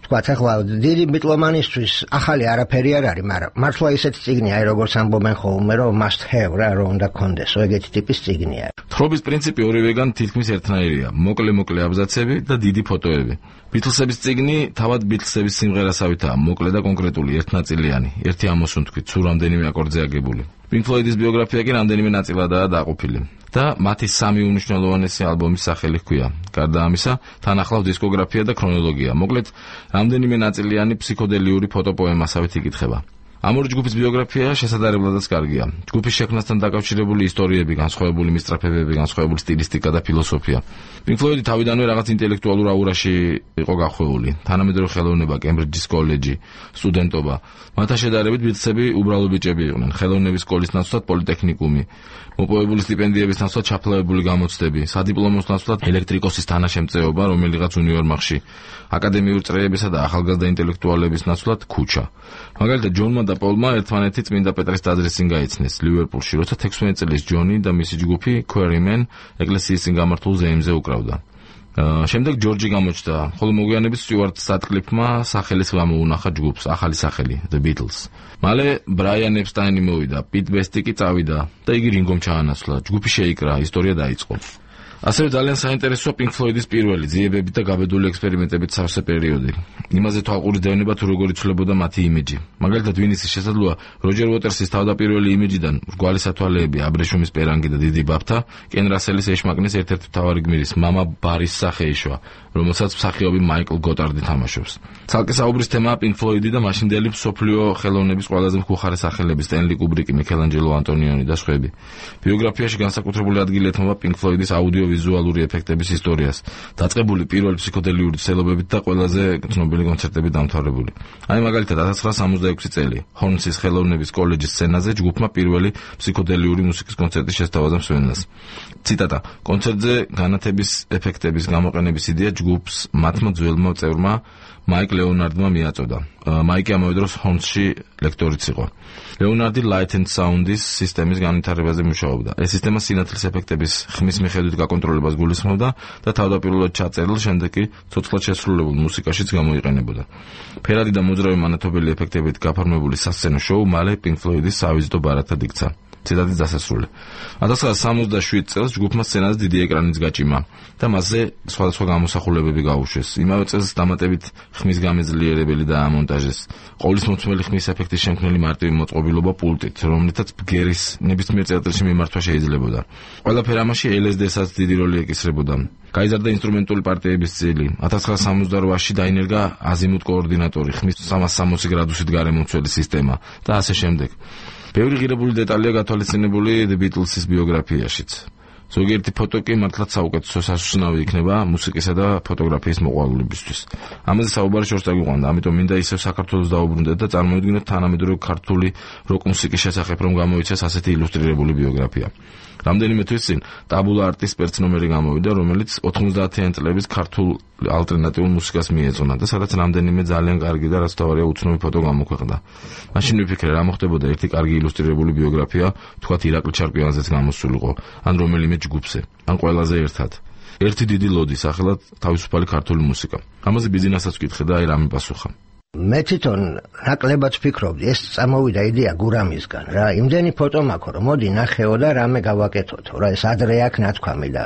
თქვათ, ახლა დიდი ბიტლომანისთვის ახალი არაფერი არ არის, მაგრამ მართლა ისეთი წიგნია, აი როგორც ამბობენ ხოლმე, რომ must have რა, რომ უნდა კონდესო, ეგეთი ტიპის წიგნია. თხრობის პრინციპი ორივეგან თითქმის ერთნაირია, მოკლე-მოკლე აბზაცები და დიდი ფოტოები. ბიტლსების წიგნი თავად ბიტლსების სიმღერასავითაა, მოკლე და კონკრეტული, ერთნაწილიანი, ერთი ამოსუნთქვით, სულ რამდენიმე აკორდზე აგებული. Pink Floyd-ის ბიოგრაფია კი რამდენიმე ნაწილადაა დაყოფილი. და მათი სამი უმნიშვნელოვანესი ალბომის სახელი ჰქვია. გარდა ამისა, თან ახლავს დისკოგრაფია და ქრონოლოგია. მოკლედ, რამდენიმე ნაწილიანი ფსიქოდელიური ფოტოპოემასავით იკითხება. ამ ორი ჯგუფის ბიოგრაფია შესაძლებელადაც კარგია. ჯგუფის შექმნასთან დაკავშირებული ისტორიები, განსხვავებული მისწრაფებები, განსხვავებული სტილისტიკა და ფილოსოფია. Pink Floyd თავიდანვე რაღაც ინტელექტუალურ აურაში იყო გახვეული. თანამედროვე ხელოვნება, კემბრიჯის კოლეჯი, სტუდენტობა. მათთან შედარებით ბიტლსები უბრალო ბიჭები იყვნენ. ხელოვნების სკოლის ნაცვლად პოლიტექნიკუმი, მოპოვებული სტიპენდიების ნაცვლად ჩაფლავებული გამოცდები, სადიპლომოს ნაცვლად ელექტრიკოსის თანაშემწეობა რომელიღაც უნივერმაღში, აკადემიური წრეებისა და ახალგაზრდა ინტელექტუალების ნაცვლად ქუჩა. მაგალითად, ჯონმა და პოლმა ერთმანეთი წმინდა პეტრეს ტაძრის წინ გაიცნეს ლივერპულში, როცა თექვსმეტ წლის ჯონი და მისი ჯგუფი Quarrymen ეკლესიის წინ გამართულ ზეიმზე უკრავდა. შემდეგ ჯორჯი გამოჩნდა, ხოლო მოგვიანებით სტიუარტ სატკლიფმა სახელის გამოუნახა ჯგუფს, ახალი სახელი The Beatles. მალე ბრაიან ეპსტაინი მოვიდა, პიტ ბესტი კი წავიდა და იგი რინგომ ჩაანაცვლა. ჯგუფი შეიკრა, ისტორია დაიწყო. ასევე ძალიან საინტერესოა Pink Floyd-ის პირველი ძიებებით და გაბედული ექსპერიმენტებით სავსე პერიოდი. იმაზე თვალყური დევნება თუ როგორ იცვლებოდა მათი იმიჯი. მაგალითად, ვინ იცის შესაძლოა როჯერ უოტერსის თავდაპირველი იმიჯიდან რგვალი სათვალეები, აბრეშუმის პერანგი და დიდი ბაფთა კენ რასელის ეშმაკნის ერთ-ერთი მთავარი გმირის მამა ბარის სახე ეშვა, რომელსაც მსახიობი მაიკლ გოტარდი თამაშობს. ცალკე საუბრის თემაა Pink Floyd-ი და მაშინდელი მსოფლიო ხელოვნების ყველაზე მხუხარე სახელები სტენლი კუბრიკი, მიქელანჯელო ანტონიონი და სხვები. ბიოგრაფიაში განსაკუთრებული ადგილი ეთმობა Pink Floyd-ის აუდიოვიზუალური ეფექტების ისტორიას, დაწყებული პირველი ფსიქოდელიური ცელობებით და ყველაზე ცნობილი კონცერტებით დამთავრებული. აი მაგალითად ათას ცხრაასი სამოცდაექვსი წელი, ჰორნსის ხელოვნების კოლეჯის სცენაზე ჯგუფმა პირველი ფსიქოდელიური მუსიკის კონცერტი შესთავაზა მსმენელს. ციტატა: კონცერტზე განათების ეფექტების გამოყენების იდეა ჯგუფს მათმა ძველმა წევრმა მაიკ ლეონარდმა მიაწოდა. მაიკი ამავე დროს ჰორნსში ლექტორიც იყო. ლეონარდი Light and Sound-ის სისტემის განვითარებაზე მუშაობდა. ეს სისტემა სინათლის ეფექტების ხმის მიხედვით გაკონტროლებას გულისხმობდა და თავდაპირველად ჩაწერილ, შემდეგ კი ცოცხლად შესრულებულ მუსიკაშიც გამოიყენებოდა. ფერადი და მოძრავი მანათობელი ეფექტებით გაფორმებული სასცენო შოუ მალე Pink Floyd-ის სავიზიტო ბარათად იქცა. ციტატის დასასრული. ათას ცხრაასი სამოცდაშვიდ წელს ჯგუფმა სცენაზე დიდი ეკრანიც გაჭიმა და მასზე სხვადასხვა გამოსახულებები გაუშვეს. იმავე წელს დამატებით ხმის გამეძლიერებელი დაამონტაჟეს. ყოვლისმომცველი ხმის ეფექტის შემქმნელი მარტივი მოწყობილობა პულტით, რომლითაც ბგერის ნებისმიერ წელწადში მიმართვა შეიძლებოდა. ყველაფერ ამაში ელ ეს დი-საც დიდი როლი ეკისრებოდა. გაიზარდა ინსტრუმენტული პარტიების წილი. ათას ცხრაასი სამოცდარვაში დაინერგა აზიმუტ კოორდინატორი, ხმის სამას სამოცი გრადუსით გარემომცველი სისტემა და ასე შემდეგ. ბევრი ღირებული დეტალია გათვალისწინებული The Beatles-ის ბიოგრაფიაშიც. ზოგიერთი ფოტო კი მართლაც საუკეთესო სასუსნავი იქნება მუსიკისა და ფოტოგრაფიის მოყვარულებისთვის. ამაზე საუბარი შორს დაგვიყვანდა, ამიტომ მინდა ისევ საქართველოს დაუბრუნდეთ და წარმოვიდგინოთ თანამედროვე ქართული როკ მუსიკის შესახებ რომ გამოიცეს ასეთი ილუსტრირებული ბიოგრაფია. რამდენიმე თვის წინ ტაბულა არტის სპეცნომერი გამოვიდა, რომელიც ოთხმოცდაათიანი წლების ქართულ ალტერნატიულ მუსიკას მიეძღვნა და სადაც რამდენიმე ძალიან კარგი და რაც თავარია უცნობი ფოტო გამოქვეყნდა. მაშინ ვიფიქრე, რა მოხდებოდა ერთი კარგი ილუსტრირებული ბიოგრაფია, თქვათ ირაკლი ჩარკვიანზეც გამოსულიყო, ან რომელიმე ჯგუფზე, ან ყველაზე ერთად. ერთი დიდი ლოდი, სახელად თავისუფალი ქართული მუსიკა. ამაზე ბიზნესაც ვკითხე და აი რა მიპასუხა. მე თვითონ ნაკლებად ვფიქრობდი, ეს წამოვიდა იდეა გურამისგან რა. იმდენი ფოტო მაქვს, რომ მოდი ნახეო და რამე გავაკეთოთ, რა ეს ადრე აქ ნათქვამი და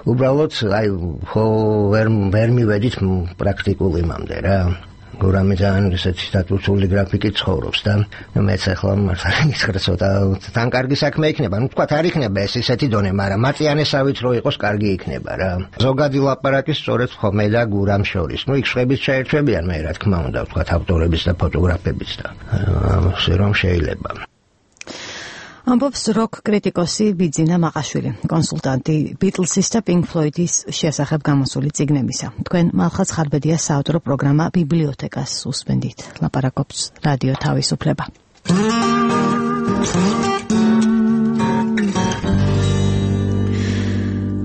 უბრალოდ აი ხო ვერ ვერ მივედით პრაქტიკულ იმამდე რა. გურამი ძალიან ისეთი სტატუსული გრაფიკით ცხოვრობს და მეც ახლა მართალი ცოტა თან კარგი საქმე იქნება. ნუ თქვა არ იქნება ეს ისეთი დონე, მაგრამ მაწიანესავით რო იყოს კარგი იქნება რა. ზოგადი ლაპარაკი სწორედ ხომე და გურამ შორის. ნუ იქ შვების ჩაერთვებიან მე რა თქმა უნდა, თქვა ავტორების და ფოტოგრაფების და ასე რომ შეიძლება. ამბობს როკ კრიტიკოსი ბიძინა მაყაშვილი, კონსულტანტი Beatles-ის და Pink Floyd-ის შესახებ გამოსული წიგნებისა. თქვენ მალხაც ხარბედიას საავტორო პროგრამა ბიბლიოთეკას უსმენთ. ლაპარაკობს რადიო თავისუფლება.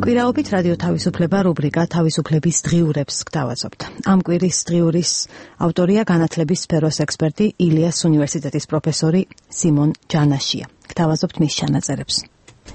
კვირაობით რადიო თავისუფლება რუბრიკა თავისუფლების დღიურებს გთავაზობთ. ამ კვირის დღიურის ავტორია განათლების სფეროს ექსპერტი ილიას უნივერსიტეტის პროფესორი სიმონ ჯანაშია. გთავაზობთ მის ჩანაწერებს.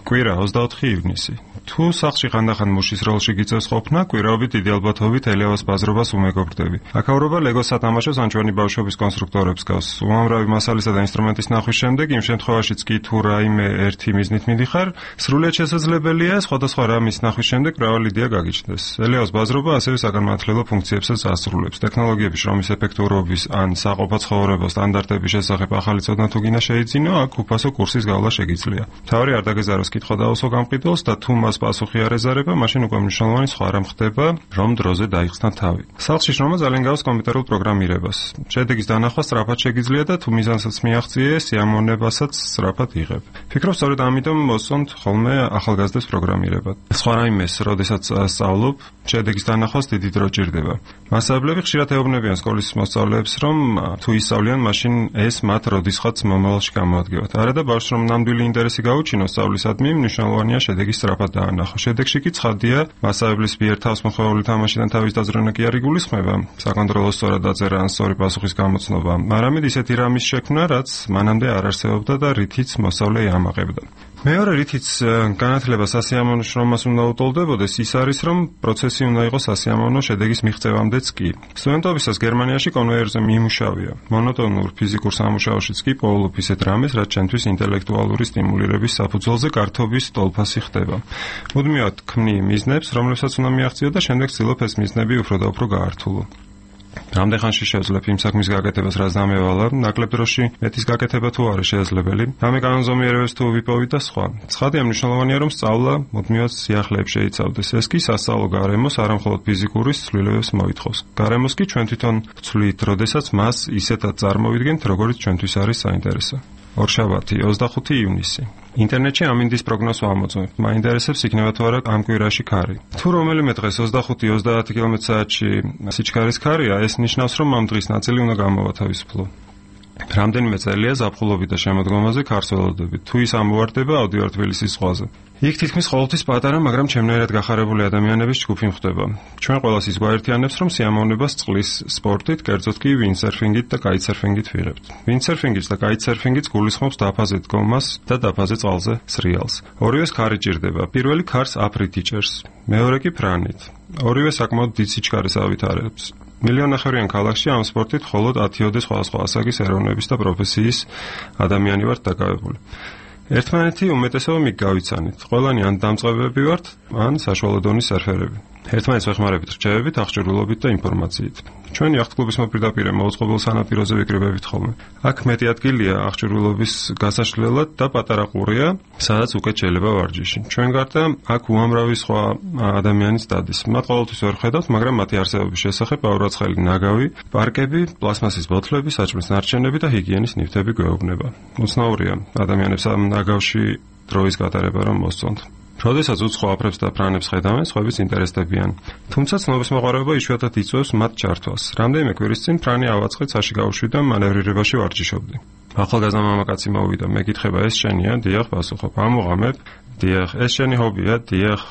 კვირა ოცდაოთხი ივნისი. თუ სახლში ხანდახან მუშის როლში გიწევს ყოფნა, კვირაობით დიდი ალბათობით ელევას ბაზრობას უმეგობრდები. აქაურობა ლეგოს სათამაშოს ან ჩვენი ბავშვობის კონსტრუქტორებს გავს. უამრავი მასალისა და ინსტრუმენტის ნახვის შემდეგ, იმ შემთხვევაშიც კი თუ რაიმე ერთი მიზნით მიდიხარ, სრულიად შესაძლებელია სხვადასხვა რამის ნახვის შემდეგ მრავალი იდეა გაგიჩნდეს. ელევას ბაზრობა ასევე საგანმანათლებლო ფუნქციებსაც ასრულებს. ტექნოლოგიების შრომის ეფექტურობის ან საყოფა ცხოვრება სტანდარტების შესახებ ახალი ცოდნა თუ გინდა შეიძინო, აქ უფასო კურსის გავლა შეგიძლია. თავი არ დაგეზაროს კითხვა დაუსვა გამყიდველს და თუ მას პასუხი არ ეზარება, მაშინ უკვე მნიშვნელოვანი სხვა რამ ხდება, რომ დროზე დაიხსნა თავი. სახლში შრომა ძალიან გავს კომპიუტერულ პროგრამირებას. შედეგის დანახვა სწრაფად შეგიძლია და თუ მიზანსაც მიაღწიე, სიამოვნებასაც სწრაფად იღებ. ფიქრობ, სწორედ ამიტომ მოსწონთ ხოლმე ახალგაზრდებს პროგრამირება. სხვა რაიმეს, როდესაც სწავლობ, შედეგის დანახვას დიდი დრო ჭირდება. მასწავლებლები ხშირად ეუბნებიან სკოლის მოსწავლეებს, რომ თუ ისწავლიან, მაშინ ეს მათ როდისღაც მომავალში გამოადგევათ. არა და ბავშვს რომ ნამდვილი ინტერესი გაუჩინოს სწავლისადმი, მნიშვნელოვანია შედეგის სწრაფად დაანახო. შედეგში კი ცხადია, მასწავლებლის მიერ თავსმოხვეული თამაშიდან თავის დაზრონა კი არ იგულისხმება, საკონტროლო სწორად დაწერა ან სწორი პასუხის გამოცნობა, არამედ ისეთი რამის შექმნა, რაც მანამდე არ არსებობდა და რითიც მოსწავლე იამაყებდა. მეორე რითიც განათლება სასიამოვნო შრომას უნდა უტოლდებოდეს, ის არის, რომ პროცესი უნდა იყოს სასიამოვნო შედეგის მიღწევამდეც კი. სტუდენტობისას გერმანიაში კონვეიერზე მიიმუშავია. მონოტონურ ფიზიკურ სამუშაოშიც კი პოულობ ისეთ რამეს, რაც ჩვენთვის ინტელექტუალური სტიმულირების საფუძველზე გართობის ტოლფასი ხდება. მუდმივად ქმნი მიზნებს, რომლებსაც უნდა მიაღწიო და შემდეგ ცდილობ ეს მიზნები უფრო და უფრო გაართულო. რამდენ ხანში შევძლებ იმ საქმის გაკეთებას, რაც დამევალა, ნაკლებ დროში მეტის გაკეთება თუ არის შესაძლებელი, რამე კანონზომიერებებს თუ ვიპოვით და სხვა. ცხადია, მნიშვნელოვანია, რომ სწავლა მუდმივად სიახლეებს შეიცავდეს. ეს კი სასწავლო გარემოს არა მხოლოდ ფიზიკური ცვლილებებს მოითხოვს. გარემოს კი ჩვენ თვითონ ვცვლით, როდესაც მას ისეთად წარმოვიდგენთ, როგორც ჩვენთვის არის საინტერესო. ორშაბათი, ოცდახუთი ივნისი. ინტერნეტში ამინდის პროგნოზს ვამოწმებ. მაინტერესებს იქნება თუ არა ამ კვირაში ქარი. თუ რომელიმე დღეს ოცდახუთი ოცდაათი კილომეტრი საათში სიჩქარის ქარია, ეს ნიშნავს, რომ ამ დღის ნაწილი უნდა გამოვათავისუფლო. რამდენიმე წელია ზაფხულობით და შემოდგომაზე ქარს ველოდებით. თუ ის ამოვარდება აუდიო თბილისის ზღვაზე. იქ თითქმის ყოველთვის პატარა, მაგრამ ჩემნაირად გახარებული ადამიანების ჯგუფი მხვდება. ჩვენ ყველას ის გვაერთიანებს, რომ სიამოვნებას წყლის სპორტით, კერძოდ კი ვინდსერფინგით და კაიტსერფინგით ვიღებთ. ვინდსერფინგიც და კაიტსერფინგიც გულისხმობს დაფაზე დგომას და დაფაზე წყალზე სრიალს. ორივეს ქარი ჭირდება. პირველი ქარს აფრით იჭერს, მეორე კი ფრანით. ორივე საკმაოდ დიდ სიჩქარეს ავითარებს. მილიონნახევრიან ქალაქში ამ სპორტით მხოლოდ ათიოდე სხვადასხვა ასაკის ეროვნების და პროფესიის ადამიანი ვართ დაკავებული. ერთმანეთი უმეტესობა მიგ გავიცანით. ყველანი ან დამწყებები ვართ, ან საშუალო დონის სერფერები. ერთმანეთს ვეხმარებით რჩევებით, აღჭურვილობით და ინფორმაციით. ჩვენი აღთქმის მოპირდაპირე მოუწყობილ სანაპიროზე ვიკრიბებით ხოლმე. აქ მეტი ადგილია აღჭურვილობის გასაშლელად და პატარა ყურია, სადაც უკეთ შეიძლება ვარჯიში. ჩვენ გარდა აქ უამრავი სხვა ადამიანის დადის. მათ ყოველთვის ვერ ხედავთ, მაგრამ მათი არსებობის შესახებ აურაცხელი ნაგავი, პარკები, პლასმასის ბოთლები, საჭმლის ნარჩენები და ჰიგიენის ნივთები გვეუბნება. უცნაურია ადამიანებს ამ ნაგავში დროის გატარება რომ მოსწონთ. როდესაც უცხო აფრებს და ფრანებს ხედავენ, სხვაებიც ინტერესდებიან. თუმცა ცნობის მოყარება იშვიათად იწვევს მათ ჩართვას. რამდენიმე კვირის წინ ფრანი ავაწყეთ საში გავუშვი და მანევრირებაში ვარჯიშობდი. ახალგაზრდა მამაკაცი მოვიდა, მეკითხება ეს შენია? დიახ, პასუხობ. ამოღამებ? დიახ, ეს შენი ჰობია? დიახ.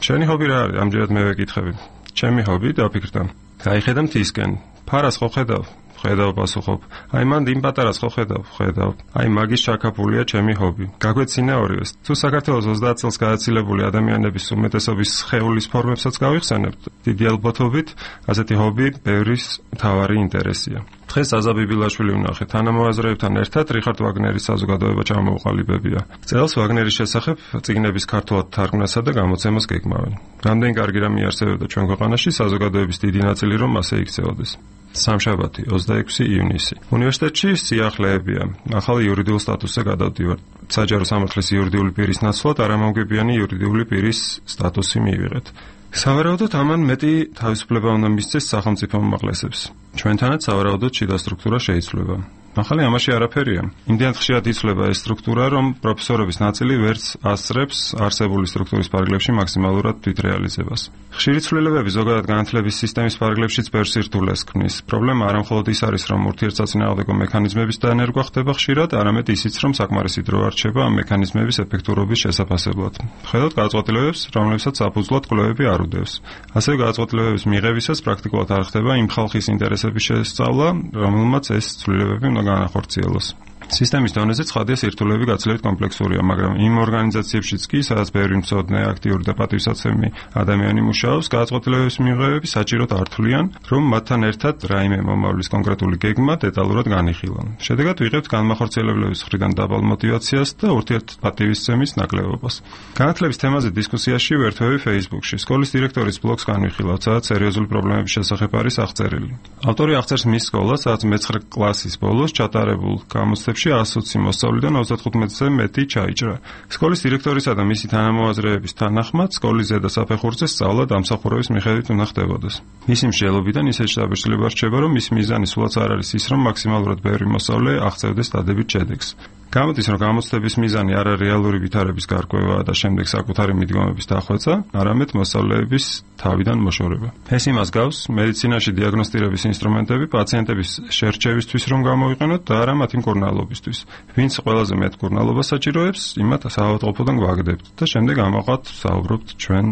შენი ჰობი რა არის? ამჯერად მე ვეკითხები. ჩემი ჰობი დაფიქრდა. გაიხედა მთისკენ. ფარას ხო ხედავ? ხედავ, პასუხობ. აი მან იმ პატარას ხო ხედავ? ხედავ. აი მაგის ჩაკაპულია ჩემი ჰობი. გაგვეცინა ორივეს. თუ საქართველოს ოცდაათ წელს გააცილებული ადამიანების უმეტესობის სხეულის ფორმებსაც გავიხსენებთ, დიდი ალბათობით ასეთი ჰობი ბევრის მთავარი ინტერესია. დღეს ზაზა ბიბილაშვილი ვნახე. თანამოაზრეებთან ერთად რიხარდ ვაგნერის საზოგადოება ჩამოუყალიბებია. წელს ვაგნერის შესახებ წიგნების ქართულად თარგმნასა და გამოცემას გეგმავენ. რამდენი კარგი რამე არსებობდა ჩვენ ქვეყანაში, საზოგადოების დიდი ნაწილი რომ ასე იქცეოდეს. სამშაბათი, ოცდაექვსი ივნისი. უნივერსიტეტში სიახლეებია. ახალი იურიდიულ სტატუსზე გადავდივარ. საჯარო სამართლის იურიდიული პირის ნაცვლად არამომგებიანი იურიდიული პირის სტატუსი მიიღეთ. სავარაუდოდ ამან მეტი თავისუფლება უნდა მისცეს სახელმწიფო უმაღლესებს. ჩვენთანაც სავარაუდოდ შიდა სტრუქტურა შეიცვლება. ახალი ამაში არაფერია. იმდენად ხშირად იცვლება ეს სტრუქტურა, რომ პროფესორების ნაწილი ვერც ასწრებს არსებული სტრუქტურის პარაგლებში მაქსიმალურად თვითრეალიზებას. ხშირი ცვლილებები ზოგადად განათლების სისტემის პარაგლებშიც ბევრ სირთულეს ქმნის. პრობლემა არა მხოლოდ ის არის, რომ ურთიერთსაწინააღმდეგო მექანიზმების დანერგვა ხდება ხშირად, არამედ ისიც, რომ საკმარისი დრო არ რჩება ამ მექანიზმების ეფექტურობის შესაფასებლად. ხედავთ გადაწყვეტილებებს, რომლებსაც საფუძვლად კვლევები არ უდევს. ასევე გადაწყვეტილებების მიღებისას პრაქტიკულად არ ხდება იმ ხალხის ინტერესების შესწავლა, რომელმაც ეს ცვლილებები უნდა განახორციელოს. სისტემის დონეზე ცხადია სირთულეები გაცილებით კომპლექსურია, მაგრამ იმ ორგანიზაციებშიც კი, სადაც ბევრი მცოდნე, აქტიური და პატივსაცემი ადამიანი მუშაობს, გადაწყვეტილებების მიღებები საჭიროდ ართულიან, რომ მათთან ერთად რაიმე მომავლის კონკრეტული გეგმა დეტალურად განიხილონ. შედეგად ვიღებთ განმახორციელებლების მხრიდან დაბალ მოტივაციას და ურთიერთპატივისცემის ნაკლებობას. განათლების თემაზე დისკუსიაში ვერთვები Facebook-ში. სკოლის დირექტორის ბლოგს განვიხილავთ, სადაც სერიოზული პრობლემების შესახებ არის აღწერილი. ავტორი აღწერს მის სკოლას, სადაც მეცხრე კლასის ბოლოს ჩატარებულ გამოცდებში ას ოცი მოსწავლიდან ოცდათხუთმეტზე მეტი ჩაიჭრა. სკოლის დირექტორისა და მისი თანამოაზრეების თანახმად, სკოლის ზედა საფეხურზე სწავლა დამსახურების მიხედვით უნდა ხდებოდეს. მისი მსჯელობიდან ისეთ შთაბეჭდილება რჩება, რომ მის მიზანი სულაც არ არის ის, რომ მაქსიმალურად ბევრი მოსწავლე აღწევდეს დადებით შედეგს. გამოდის, რომ გამოცდების მიზანი არა რეალური ვითარების გარკვევაა და შემდეგ საკუთარი მიდგომების დახვეწა, არამედ მოსწავლეების თავიდან მოშორება. ეს იმას გავს, მედიცინაში დიაგნოსტირების ინსტრუმენტები პაციენტების შერჩევისთვის რომ გამოიყენოთ და არა მათი მკურნალობისთვის. ვინც ყველაზე მეტ მკურნალობას საჭიროებს, იმათ საავადმყოფოდან გვაგდებთ და შემდეგ ამაყად საუბრობთ ჩვენ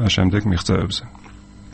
შემდეგ მიღწევებზე.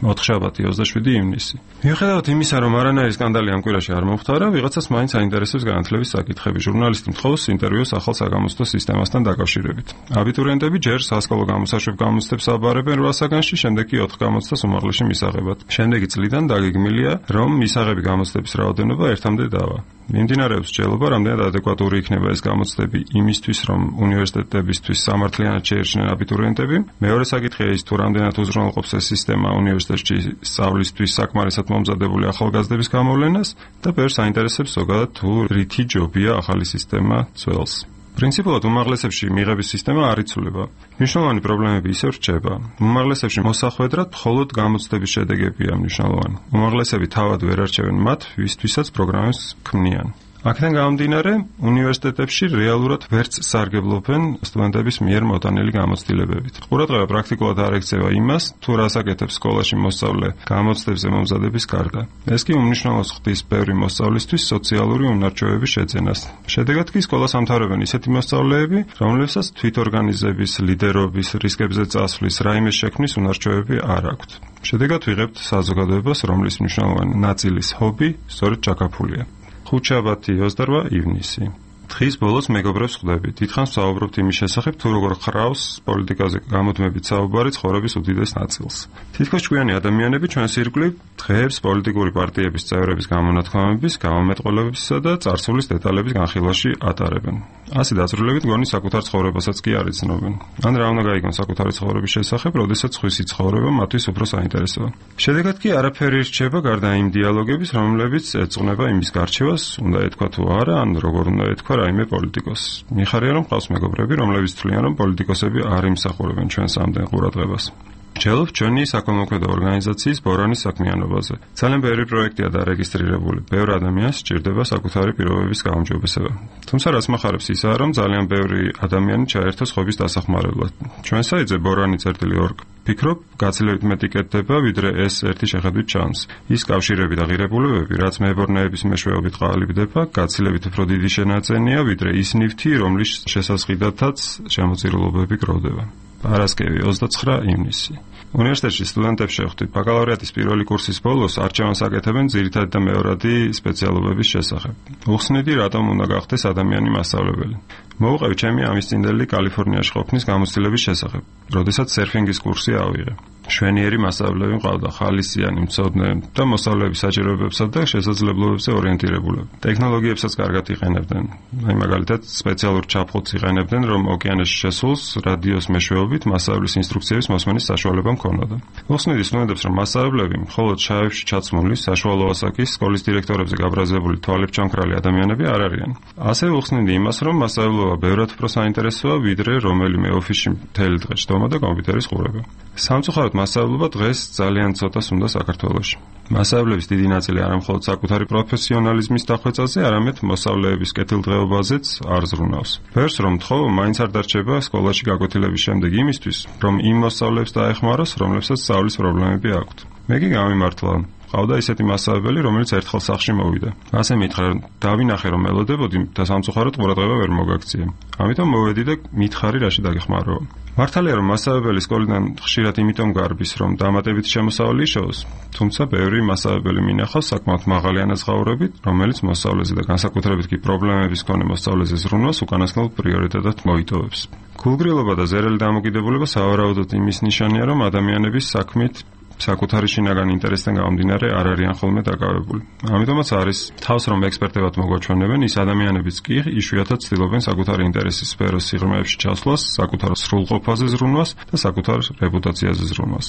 ოთხშაბათი ოცდაშვიდი ივნისი. მიუხედავად იმისა, რომ არანაირი სკანდალი ამ კვირაში არ მომხდარა, ვიღაცას მაინც აინტერესებს განათლების საკითხები. ჟურნალისტი მთხოვს ინტერვიუს ახალ საგამოცდო სისტემასთან დაკავშირებით. აბიტურიენტები ჯერ სასკოლო გამოსაშვებ გამოცდებს აბარებენ რვა საგანში, შემდეგ კი ოთხ გამოცდას უმაღლესში მისაღებად. შემდეგი წლიდან დაგეგმილია, რომ მისაღები გამოცდების რაოდენობა ერთამდე დავა. მიმდინარეობს მსჯელობა, რამდენად ადეკვატური იქნება ეს გამოცდები იმისთვის, რომ უნივერსიტეტებისთვის სამართლიანად შეერჩნენ აბიტურიენტები. მეორე საკითხია ის, თუ რამდენად უზრუნველყოფს ეს სისტემა უნივერსიტეტში სწავლისთვის საკმარისად მომზადებული ახალგაზრდების გამოვლენას და ბევრს აინტერესებს ზოგადად თუ რითი ჯობია ახალი სისტემა ძველს. პრინციპულად უმაღლესებში მიღების სისტემა არ იცვლება. მნიშვნელოვანი პრობლემები ისევ რჩება. უმაღლესებში მოსახვედრად მხოლოდ გამოცდების შედეგებია მნიშვნელოვანი. უმაღლესები თავად ვერ არჩევენ მათ, ვისთვისაც პროგრამებს ქმნიან. აქედან გამომდინარე, უნივერსიტეტებში რეალურად ვერც სარგებლობენ სტუდენტების მიერ მოტანილი გამოცდილებებით. ყურადღება პრაქტიკულად არ ექცევა იმას, თუ რას აკეთებს სკოლაში მოსწავლე გამოცდებზე მომზადების გარდა. ეს კი უმნიშვნელოს ხდის ბევრი მოსწავლისთვის სოციალური უნარჩვევების შეძენას. შედეგად კი სკოლას ამთავრებენ ისეთი მოსწავლეები, რომლებსაც თვითორგანიზების, ლიდერობის, რისკებზე წასვლის, რაიმე შექმნის უნარჩვევები არ აქვთ. შედეგად ვიღებთ საზოგადოებას, რომლის მნიშვნელოვანი ნაწილის ჰობი სწორედ ჩაქაფულია. ხუთშაბათი ოცდარვა ივნისი. დღის ბოლოს მეგობრებს ხვდები. დიდხანს ვსაუბრობთ იმის შესახებ, თუ როგორ ხრავს პოლიტიკაზე გამოდმებით საუბარი ცხოვრების უდიდეს ნაწილს. თითქოს ჭკვიანი ადამიანები ჩვენს ირგვლივ დღეებს პოლიტიკური პარტიების წევრების გამონათქვამების, გამომეტყველებებისა და წარსულის დეტალების განხილვაში ატარებენ. ასე დაწვრილებით გონი საკუთარ ცხოვრებასაც კი არ იცნობენ. ან რა უნდა გაიგონ საკუთარი ცხოვრების შესახებ, როდესაც სხვისი ცხოვრება მათთვის უფრო საინტერესოა. შედეგად კი არაფერი რჩება გარდა იმ დიალოგების, რომლებიც ეწუნება იმის გარჩევას, უნდა ეთქვა თუ არა, ან როგორ უნდა ეთქვა რაიმე პოლიტიკოს. მიხარია რომ ყავს მეგობრები, რომლებიც თვლიან, რომ პოლიტიკოსები არ იმსახურებენ ჩვენს ამდენ ყურადღებას. ვსჯელობთ ჩვენი საქველმოქმედო ორგანიზაციის ბორანის საქმიანობაზე. ძალიან ბევრი პროექტია დარეგისტრირებული. ბევრ ადამიანს სჭირდება საკუთარი პირობების გაუმჯობესება. თუმცა რაც מחარებს ისაა, რომ ძალიან ბევრი ადამიანი ჩაერთოს ხობის დასახმარებლად. ჩვენ საიტზე ბორანი წერტილი ორგ ფიქრობ, გაცილებით მეტი კეთდება, ვიდრე ეს ერთი შეხედვით ჩანს. ის კავშირები და ღირებულებები, რაც მეებორნეების მეშვეობით ყალიბდება, გაცილებით უფრო დიდი შენაძენია, ვიდრე ის ნივთი, რომლის შესაძღიდათაც შემოწირულობები გროვდება. პარასკევი ოცდაცხრა ივნისი. უნივერსიტეტში სტუდენტებს შევხვდით. ბაკალავრიატის პირველი კურსის ბოლოს არჩევანს აკეთებენ ძირითადი და მეორადი სპეციალობების შესახებ. უხსნიდი, რატომ უნდა გახდეს ადამიანი მასწავლებელი. მოვუყევი ჩემი ამისწინდელი კალიფორნიაში ყოფნის გამოცდილების შესახებ, როდესაც სერფინგის კურსი ავიღე. შვენიერი მასწავლებლები მყავდა, ხალისიანი, მცოდნე და მოსწავლეების საჭიროებებსა და შესაძლებლობებზე ორიენტირებულები. ტექნოლოგიებსაც კარგად იყენებდნენ. აი მაგალითად, სპეციალურ ჩაფხუტს იყენებდნენ, რომ ოკეანეში შესულს რადიოს მეშვეობით მასწავლებლის ინსტრუქციების მოსმენის საშუალება მქონოდა. უხსნიდი სტუდენტებს, რომ მასწავლებლები მხოლოდ შაევში ჩაცმული, საშუალო ასაკის სკოლის დირექტორებზე გაბრაზებული თვალებჩამქრალი ადამიანები არ არიან. ასევე უხსნიდი იმას, რომ მასწავლებლობა ბევრად უფრო საინტერესოა, ვიდრე რომელიმე ოფისში მთელი დღე ჯდომა და კომპიუტერის ყურება. სამწუხაროდ მასწავლებლობა დღეს ძალიან ცოტას უნდა საქართველოში. მასწავლებლების დიდი ნაწილი არა მხოლოდ საკუთარი პროფესიონალიზმის დახვეწაზე, არამედ მოსწავლეების კეთილდღეობაზეც არ ზრუნავს. ბევრს რომ თხოვ, მაინც არ დარჩება სკოლაში გაკვეთილების შემდეგ იმისთვის, რომ იმ მოსწავლეებს დაეხმაროს, რომლებსაც სწავლის პრობლემები აქვთ. მე კი გამიმართლა ყავდა ისეთი მასწავლებელი, რომელიც ერთხელ სახლში მოვიდა. ასე მითხრა, დავინახე რომ მელოდებოდი და სამწუხაროდ ყურადღება ვერ მოგაქცია. ამიტომ მოვედი და მითხარი რაში დაგეხმაროო. მართალია რომ მასწავლებელი სკოლიდან ხშირად იმიტომ გარბის, რომ დამატებით შემოსავალი იშოვოს, თუმცა ბევრი მასწავლებელი მინახავს საკმაოდ მაღალი ანაზღაურებით, რომელიც მოსწავლეზე და განსაკუთრებით კი პრობლემების მქონე მოსწავლეზე ზრუნვას უკანასკნელ პრიორიტეტად მოიტოვებს. გულგრილობა და ზერელი დამოკიდებულება სავარაუდოდ იმის ნიშანია, რომ ადამიანების საქმით საკუთარი შინაგან ინტერესთან გამომდინარე არ არიან ხოლმე დაკავებული. ამიტომაც არის თავს რომ ექსპერტებად მოგვაჩვენებენ, ის ადამიანებიც კი იშვიათად ცდილობენ საკუთარი ინტერესის სფეროს სიღრმეებში ჩასვლას, საკუთარ სრულყოფაზე ზრუნვას და საკუთარ რეპუტაციაზე ზრუნვას.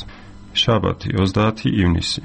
შაბათი, ოცდაათი ივნისი.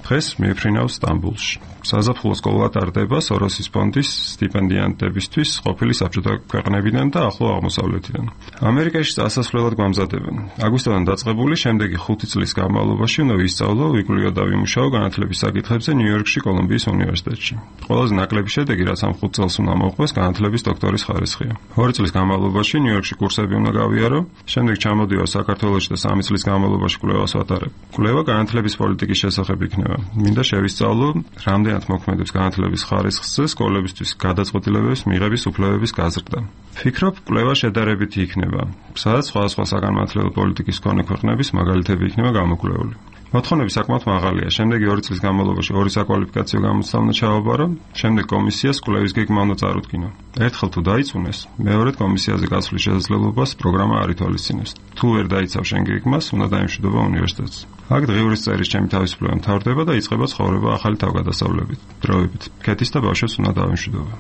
დღეს მიფრინავს სტამბულში. საზაფხულო სკოლა ტარდება სოროსის ფონდის სტიპენდიანტებისთვის ყოფილი საბჭოთა ქვეყნებიდან და ახლო აღმოსავლეთიდან. ამერიკაში წასასვლელად გამზადებენ. აგვისტოდან დაწყებული, შემდეგი ხუთი წლის განმავლობაში უნდა ვისწავლო, ვიკვლიო და ვიმუშაო განათლების საკითხებზე ნიუ-იორკში კოლუმბიის უნივერსიტეტში. ყველაზე ნაკლები შედეგი, რაც ამ ხუთ წელს უნდა მოხდეს, განათლების დოქტორის ხარისხია. ორი წლის განმავლობაში ნიუ-იორკში კურსები უნდა გავიარო, შემდეგ ჩამოდივარ საქართველოში და სამი წლის განმავლობაში კვლევას ვატარებ. კვლევა განათლების პოლიტიკის შესახებ იქნება. მინდა შევისწავლო, რამდენად მოქმედებს განათლების ხარისხზე სკოლებისთვის გადაწყვეტილებების მიღების უფლებების გაზრდა. ფიქრობ, კვლევა შედარებითი იქნება, სადაც სხვადასხვა საგანმანათლებლო პოლიტიკის მქონე ქვეყნების მაგალითები იქნება გამოკვლეული. მოთხოვნები საკმაოდ მაღალია. შემდეგი ორი წლის განმავლობაში ორი საკვალიფიკაციო გამოცდა უნდა ჩააბარო, შემდეგ კომისიას კვლევის გეგმა უნდა წარუდგინო. ერთხელ თუ დაიწუნეს, მეორედ კომისიაზე გასვლის შესაძლებლობას პროგრამა არ ითვალისწინებს. თუ ვერ დაიცავ შენ გეგმას, უნდა დაემშვიდობა უნივერსიტეტს. აქ დღიურის წერის ჩემი თავისუფლება მთავრდება და იწყება ცხოვრება ახალი თავგადასავლებით, დროებით. ქეთის და ბავშვებს უნდა დაემშვიდობა.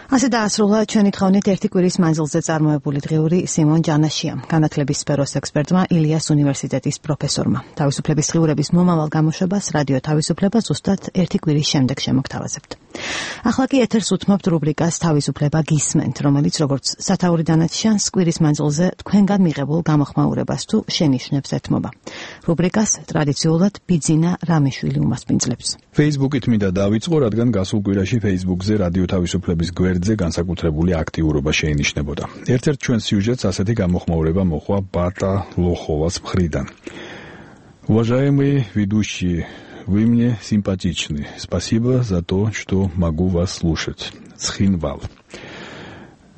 ასე დაასრულა ჩვენი თხოვნით ერთი კვირის მანძილზე წარმოებული დღიური სიმონ ჯანაშიამ, განათლების სფეროს ექსპერტმა, ილიას უნივერსიტეტის პროფესორმა. თავისუფლების დღიურების მომავალ გამოშვებას რადიო თავისუფლება ზუსტად ერთი კვირის შემდეგ შემოგთავაზებთ. ახლა კი ეთერს უთმობთ რუბრიკას თავისუფლება გისმენთ, რომელიც როგორც სათაურიდანაც ჩანს, კვირის მანძილზე თქვენგან მიღებულ გამოხმაურებას თუ შენიშვნებს ეთმობა. რუბრიკას ტრადიციულად ბიძინა რამიშვილი უმასპინძლებს. Facebook-ით მინდა დავიწყო, რადგან გასულ კვირაში Facebook-ზე რადიო თავისუფლების გვერდზე განსაკუთრებული აქტიურობა შეინიშნებოდა. ერთ-ერთ ჩვენ სიუჟეტს ასეთი გამოხმაურება მოხვა ბატა ლოხოვას მხრიდან. Уважаемые ведущие, вы мне симпатичны. Спасибо за то, что могу вас слушать. Ცხინვალ.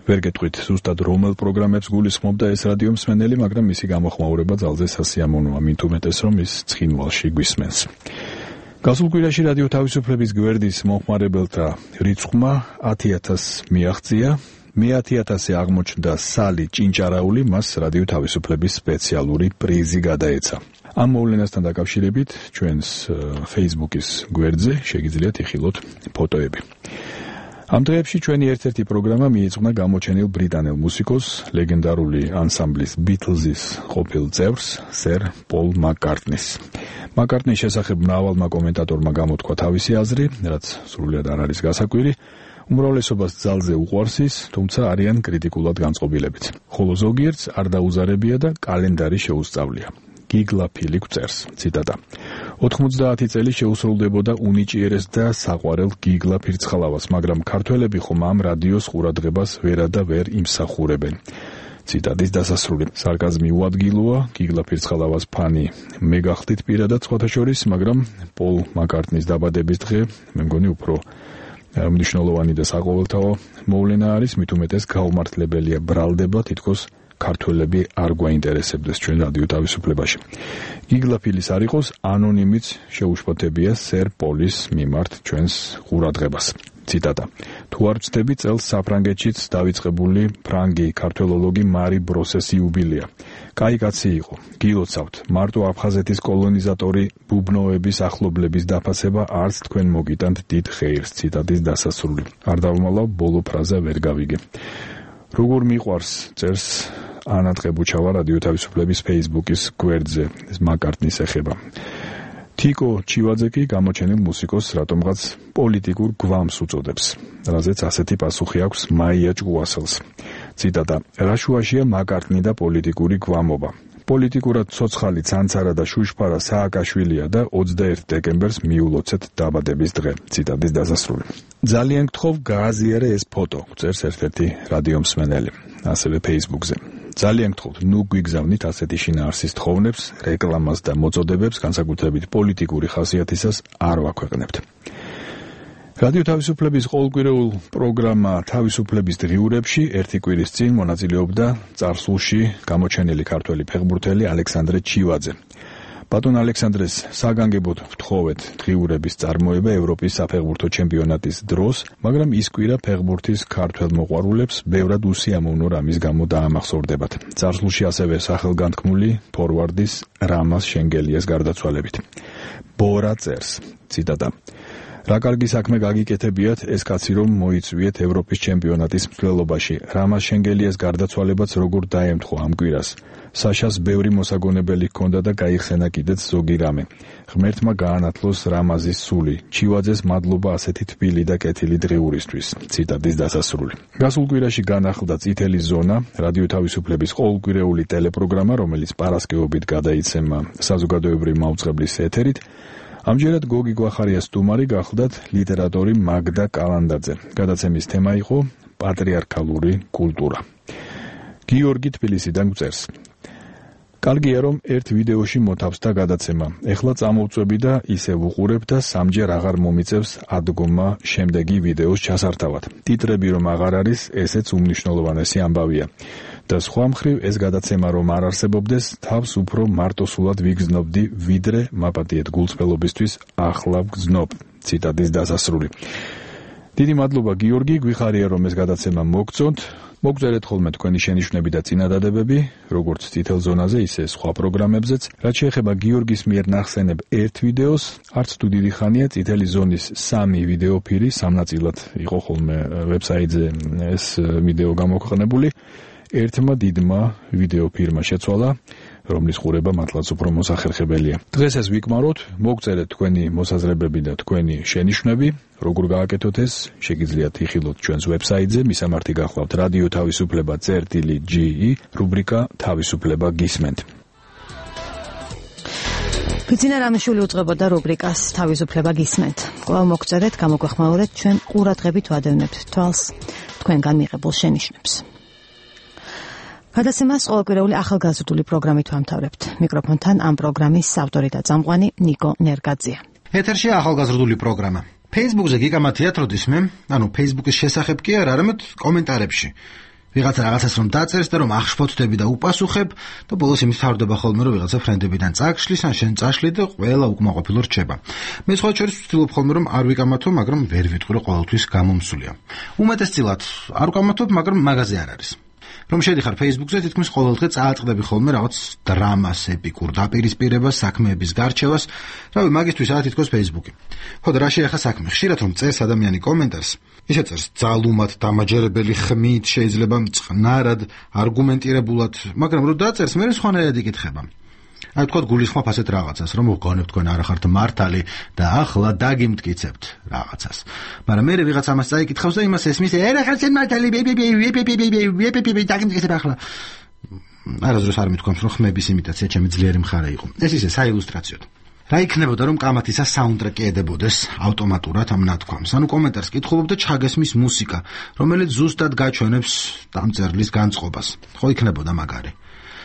ვერ გეტყვით ზუსტად რომელ პროგრამებს გულისხმობდა ეს რადიო მსმენელი, მაგრამ მისი გამოხმაურება ძალზე სასიამოვნოა, მით უმეტეს რომ ის ცხინვალში გვისმენს. გასულ კვირაში რადიო თავისუფლების გვერდის მომხმარებელთა რიცხვმა ათი ათასს მიაღწია. მეათი ათასი აღმოჩნდა სალი ჭინჭარაული, მას რადიო თავისუფლების სპეციალური პრიზი გადაეცა. ამ მოვლენასთან დაკავშირებით ჩვენს Facebook-ის გვერდზე შეგიძლიათ იხილოთ ფოტოები. ამ დღეებში ჩვენი ერთ-ერთი პროგრამა მიეძღვნა გამოჩენილ ბრიტანელ მუსიკოს, ლეგენდარული ანსამბლის Beatles-ის ყოფილ წევრს, სერ პოლ მაკ-კარტნის. მაკ-კარტნის შესახებ მრავალმა კომენტატორმა გამოთქვა თავისი აზრი, რაც სრულიად არ არის გასაკვირი. უმრავლესობას ძალზე უყვარს ის, თუმცა არიან კრიტიკულად განწყობილებიც. ხოლო ზოგიერთს არ დაუზარებია და კალენდარი შეუსწავლია. გიგლა ფილი გვწერს, ციტატა. ოთხმოცდაათი წელი შეუსრულდებოდა უნიჭიერეს და საყვარელ გიგლა ფირცხალავას, მაგრამ ქართველები ხომ ამ რადიოს ყურადღებას ვერა და ვერ იმსახურებენ. ციტატის დასასრული. სარკაზმი უადგილოა, გიგლა ფირცხალავას ფანი მე გახდით პირადად სხვათა შორის, მაგრამ პოლ მაკ-კარტნის დაბადების დღე მე მგონი უფრო მნიშვნელოვანი და საყოველთაო მოვლენა არის, მით უმეტეს გაუმართლებელია ბრალდება თითქოს ქართველები არ გვაინტერესებდეს ჩვენ რადიო თავისუფლებაში. გიგლა ფილის არ იყოს, ანონიმიც შეუშფოთებია სერ პოლის მიმართ ჩვენს ყურადღებას. ციტატა. თუ არ ვწდები, წელს საფრანგეთშიც დავიწყებული ფრანგი ქართველოლოგი მარი ბროსეს იუბილეა. კაი კაცი იყო. გილოცავთ, მარტო აფხაზეთის კოლონიზატორი ბუბნოების ახლობლების დაფასება არც თქვენ მოგიტანთ დიდ ხეირს. ციტატის დასასრული. არ დავმალავ, ბოლო ფრაზა ვერ გავიგე. როგორ მიყვარს წერს ანა ტყებუჩავა რადიო თავისუფლების Facebook-ის გვერდზე, ეს მაკ-კარტნის ეხება. თიკო ჩივაძე კი გამოჩენილ მუსიკოს რატომღაც პოლიტიკურ გვამს უწოდებს, რაზეც ასეთი პასუხი აქვს მაია ჭკუასელს. ციტატა. რა შუაშია მაკ-კარტნი და პოლიტიკური გვამობა. პოლიტიკურად ცოცხალი ცანცარა და შუშფარა სააკაშვილია და ოცდაერთი დეკემბერს მიულოცეთ დაბადების დღე. ციტატის დასასრული. ძალიან გთხოვ გააზიარე ეს ფოტო, წერს ერთ-ერთი რადიო მსმენელი, ასევე Facebook-ზე. ძალიან გთხოვთ, ნუ გვიგზავნით ასეთი შინაარსის თხოვნებს, რეკლამას და მოწოდებებს, განსაკუთრებით პოლიტიკური ხასიათისას არ ვაქვეყნებთ. რადიო თავისუფლების ყოველკვირეულ პროგრამა თავისუფლების დღიურებში ერთი კვირის წინ მონაწილეობდა წარსულში გამოჩენილი ქართველი ფეხბურთელი ალექსანდრე ჩივაძე. ბატონ ალექსანდრეს საგანგებოდ ვთხოვეთ დღიურების წარმოება ევროპის საფეხბურთო ჩემპიონატის დროს, მაგრამ ის კვირა ფეხბურთის ქართველ მოყვარულებს ბევრად უსიამოვნო რამის გამო დაამახსოვრდებათ. წარსულში ასევე სახელგანთქმული ფორვარდის რამას შენგელიას გარდაცვალებით. ბორა წერს, ციტატა: რა კარგი საქმე გაგიკეთებიათ ეს კაცი რომ მოიწვიეთ ევროპის ჩემპიონატის მსვლელობაში. რამას შენგელიას გარდაცვალებაც როგორ დაემთხვა ამ კვირას. საშას ბევრი მოსაგონებელი ჰქონდა და გაიხსენა კიდეც ზოგი რამე. ღმერთმა გაანათლოს რამაზის სული. ჩივაძეს მადლობა ასეთი თბილი და კეთილი დღიურისთვის. ციტატის დასასრული. გასულ კვირაში განახლდა წითელი ზონა, რადიო თავისუფლების ყოველკვირეული ტელეპროგრამა, რომელიც პარასკევობით გადაიცემა საზოგადოებრივი მაუწყებლის ეთერით. ამჯერად გოგი გვახარიას სტუმარი გახლდათ ლიტერატორი მაგდა კალანდაძე. გადაცემის თემა იყო პატრიარქალური კულტურა. გიორგი თბილისიდან გვწერს: კარგია რომ ერთ ვიდეოში მოთავსდა გადაცემა. ეხლა წამოვწვევი და ისე ვუყურებ და სამჯერ აღარ მომიწევს ადგომა შემდეგი ვიდეოს ჩასართავად. ტიტრები რომ აღარ არის, ესეც უმნიშვნელოვანესი ამბავია. და სხვა მხრივ ეს გადაცემა რომ არ არსებობდეს, თავს უფრო მარტოსულად ვიგრძნობდი, ვიდრე მაპატიეთ გულწრფელობისთვის ახლა ვგრძნობ. ციტატის დასასრული. დიდი მადლობა გიორგი, გვიხარია რომ ეს გადაცემა მოგწონთ. მოგწერეთ ხოლმე თქვენი შენიშვნები და წინადადებები, როგორც წითელ ზონაზე, ისე სხვა პროგრამებზეც. რაც შეეხება გიორგის მიერ ნახსენებ ერთ ვიდეოს, არც თუ დიდი ხანია წითელი ზონის სამი ვიდეოფირი სამნაწილად იყო ხოლმე ვებსაიტზე ეს ვიდეო გამოქვეყნებული. ერთმა დიდმა ვიდეოფირმა შეცვალა, რომლის ყურება მართლაც უფრო მოსახერხებელია. დღეს ეს ვიკმაროთ, მოგწერეთ თქვენი მოსაზრებები და თქვენი შენიშვნები, როგორ გააკეთოთ ეს, შეგიძლიათ იხილოთ ჩვენს ვებსაიტზე, მისამართი გახლავთ რადიო თავისუფლება წერტილი ჯი, რუბრიკა თავისუფლება გისმენთ. ბიძინა რამიშვილი უძღვებოდა რუბრიკას თავისუფლება გისმენთ. კვლავ მოგწერეთ, გამოგვეხმაურეთ, ჩვენ ყურადღებით ვადევნებთ თვალს თქვენგან მიღებულ შენიშვნებს. გადაცემას ყოველკვირეული ახალგაზრდული პროგრამით ვამთავრებთ. მიკროფონთან ამ პროგრამის ავტორი და წამყვანი ნიკო ნერგაძია. ეთერშია ახალგაზრდული პროგრამა. Facebook-ზე გიგამათიათ როდისმე, ანუ Facebook-ის შესახებ კი არ, არამედ კომენტარებში. ვიღაცა რაღაცას რომ დაწერს და რომ ახშფოთდები და უპასუხებ და ბოლოს იმით თავდება ხოლმე რომ ვიღაცა ფრენდებიდან წაგშლის ან შენ წაშლი და ყველა უკმაყოფილო რჩება. მე სხვა შორის ვცდილობ ხოლმე რომ არ ვიკამათო, მაგრამ ვერ ვიტყვი რომ ყოველთვის გამომსულია. უმეტესწილად არ ვკამათობ, მაგრამ მაგაზე არ არის. რომ შედიხარ Facebook-ზე, თითქმის ყოველდღე წააწყდები ხოლმე რაღაც დრამას, ეპიკურ დაპირისპირებას, საქმეების გარჩევას, რავი, მაგისთვისაა თითქოს Facebook-ი. ხო და რა შეეხა საქმე? ხშირად რომ წერს ადამიანი კომენტარს, ისე წერს ძალუმად, დამაჯერებელი ხმით, შეიძლება წყნარად, არგუმენტირებულად, მაგრამ რომ დაწერს, მე სხვანაირად იკითხება. აი თქვა გულისხმობ ასეთ რაღაცას, რომ ვგონებ თქვენ არ ახართ მართალი და ახლა დაგიმტკიცებთ რაღაცას. მაგრამ მე ვიღაც ამას წაიკითხავს და იმას ესმის, "ე რა ხარ შენ მართალი, დაგიმტკიცებ ახლა." არასდროს არ მithქვამს, რომ ხმების იმიტაცია ჩემი ძლიერი მხარე იყო. ეს ისე საილუსტრაციოდ. რა იქნებოდა რომ კამათისა საუნდტრეკი ედებოდეს ავტომატურად ამ ნათქვამს? ანუ კომენტარს კითხულობ და ჩაგესმის მუსიკა, რომელიც ზუსტად გაჩვენებს დამწერლის განწყობას. ხო იქნებოდა მაგარი.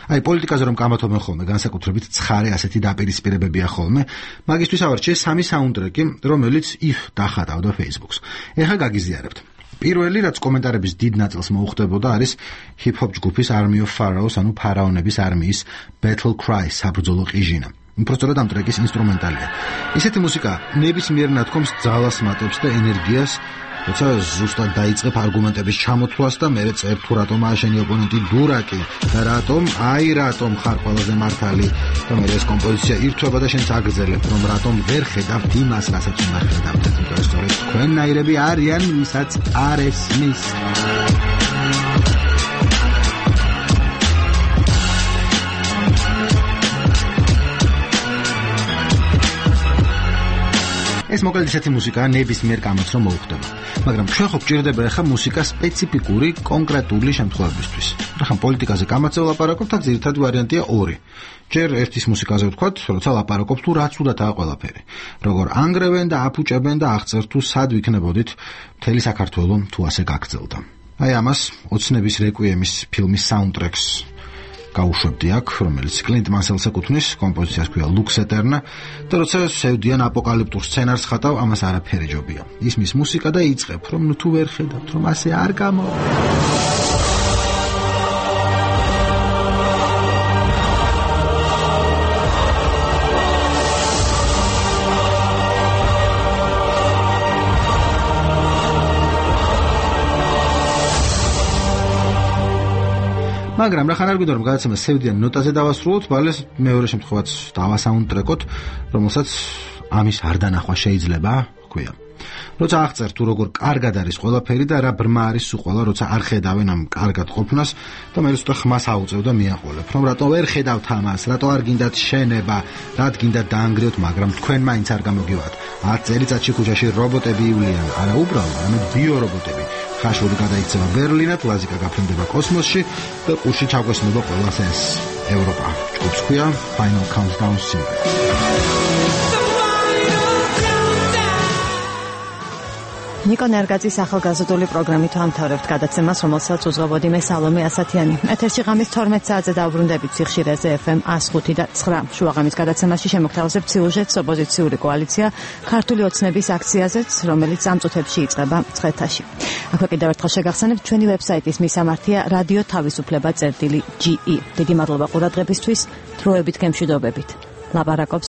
აი პოლიტიკაზე რომ კამათობენ ხოლმე, განსაკუთრებით ცხარე ასეთი დაპირისპირებებია ხოლმე, მაგისთვის ავარჩიე სამი საუნდტრეკი, რომელიც if დახატავდა Facebook-ს. ეხლა გაგიზიარებთ. პირველი, რაც კომენტარების დიდ ნაწილს მოუხდებოდა, არის hip-hop ჯგუფის Army of Pharaohs, ანუ ფარაონების არმიის Battle Cry, საბრძოლო ყიჟინა. უბრალოდ ამ ტრეკის ინსტრუმენტალია. ისეთი მუსიკა ნებისმიერ ნათქვამს ძალას მატებს და ენერგიას, როცა ზუსტად დაიწყებ არგუმენტების ჩამოთვლას და მერე წერთ თუ რატომაა შენი ოპონენტი დურაკი და რატომ, აი რატომ ხარ ყველაზე მართალი და მერე ეს კომპოზიცია ირთვება და შენც აგრძელებ, რომ რატომ ვერ ხედავთ იმას, რასაც უნდა ხედავთ. იმიტომ რომ სწორედ თქვენნაირები არიან, ვისაც არ ესმის. ეს მოკლედ ისეთი მუსიკაა ნებისმიერ კამათს რომ მოუხდება. მაგრამ ჩვენ ხო გვჭირდება ახლა მუსიკა სპეციფიკური, კონკრეტული შემთხვევებისთვის. ახლა პოლიტიკაზე კამათზე ვლაპარაკობთ, აქ ძირითადი ვარიანტია ორი. ჯერ ერთის მუსიკაზე ვთქვათ, როცა ლაპარაკობთ თუ რაც უდათაა ყველაფერი. როგორ ანგრევენ და აფუჭებენ და აღწერთ თუ სად ვიქნებოდით მთელი საქართველო თუ ასე გაგრძელდა. აი ამას ოცნების რეკვიემის ფილმის საუნდტრეკს გაუშვებდი აქ, რომელიც კლინტ მასელს ეკუთვნის, კომპოზიციას ქვია Lux Eterna და როცა სევდიან აპოკალიფტურ სცენარს ხატავ, ამას არაფერი ჯობია. ისმის მუსიკა და იწყებ, რომ ნუ თუ ვერ ხედავთ, რომ ასე არ გამო მაგრამ რა ხან არ გვინდა რომ გადაცემა სევდიან ნოტაზე დავასრულოთ, ბალეს მეორე შემთხვევაც დავასაუნდტრეკოთ, რომელსაც ამის არ დანახვა შეიძლება, ქვია. როცა აღწერ თუ როგორ კარგად არის ყველაფერი და რა ბრმა არის სულ ყველა, როცა არ ხედავენ ამ კარგად ყოფნას და მე უცოტა ხმას აუწევ და მიაყოლებ, რომ რატო ვერ ხედავთ ამას, რატო არ გინდათ შენება, რად გინდათ დაანგრიოთ, მაგრამ თქვენ მაინც არ გამოგივათ. ათ წელიწადში ქუჩაში რობოტები ივლიან, არა უბრალოდ, არამედ ბიორობოტები. ხაშური გადაიქცევა ბერლინად, ლაზიკა გაფრინდება კოსმოსში და ყურში ჩაგვესმება ყველას ეს ევროპა. ჯგუფს ქვია Final Countdown Single. ნიკო ნერგაძის ახალგაზრდული პროგრამით ვამთავრებთ გადაცემას, რომელსაც უძღვებოდი მე სალომე ასათიანი. ეთერში ღამის თორმეტ საათზე დავბრუნდებით სიხშირეზე ეფ ემ one oh five და nine. შუაღამის გადაცემაში შემოგთავაზებთ სიუჟეტს ოპოზიციური კოალიცია ქართული ოცნების აქციაზეც, რომელიც ამ წუთებში იწყება მცხეთაში. აქვე კიდევ ერთხელ შეგახსენებთ ჩვენი ვებსაიტის მისამართია რადიო თავისუფლება წერტილი ჯი ი. დიდი მადლობა ყურადღებისთვის, დროებით გემშვიდობებით. ლაპარაკობს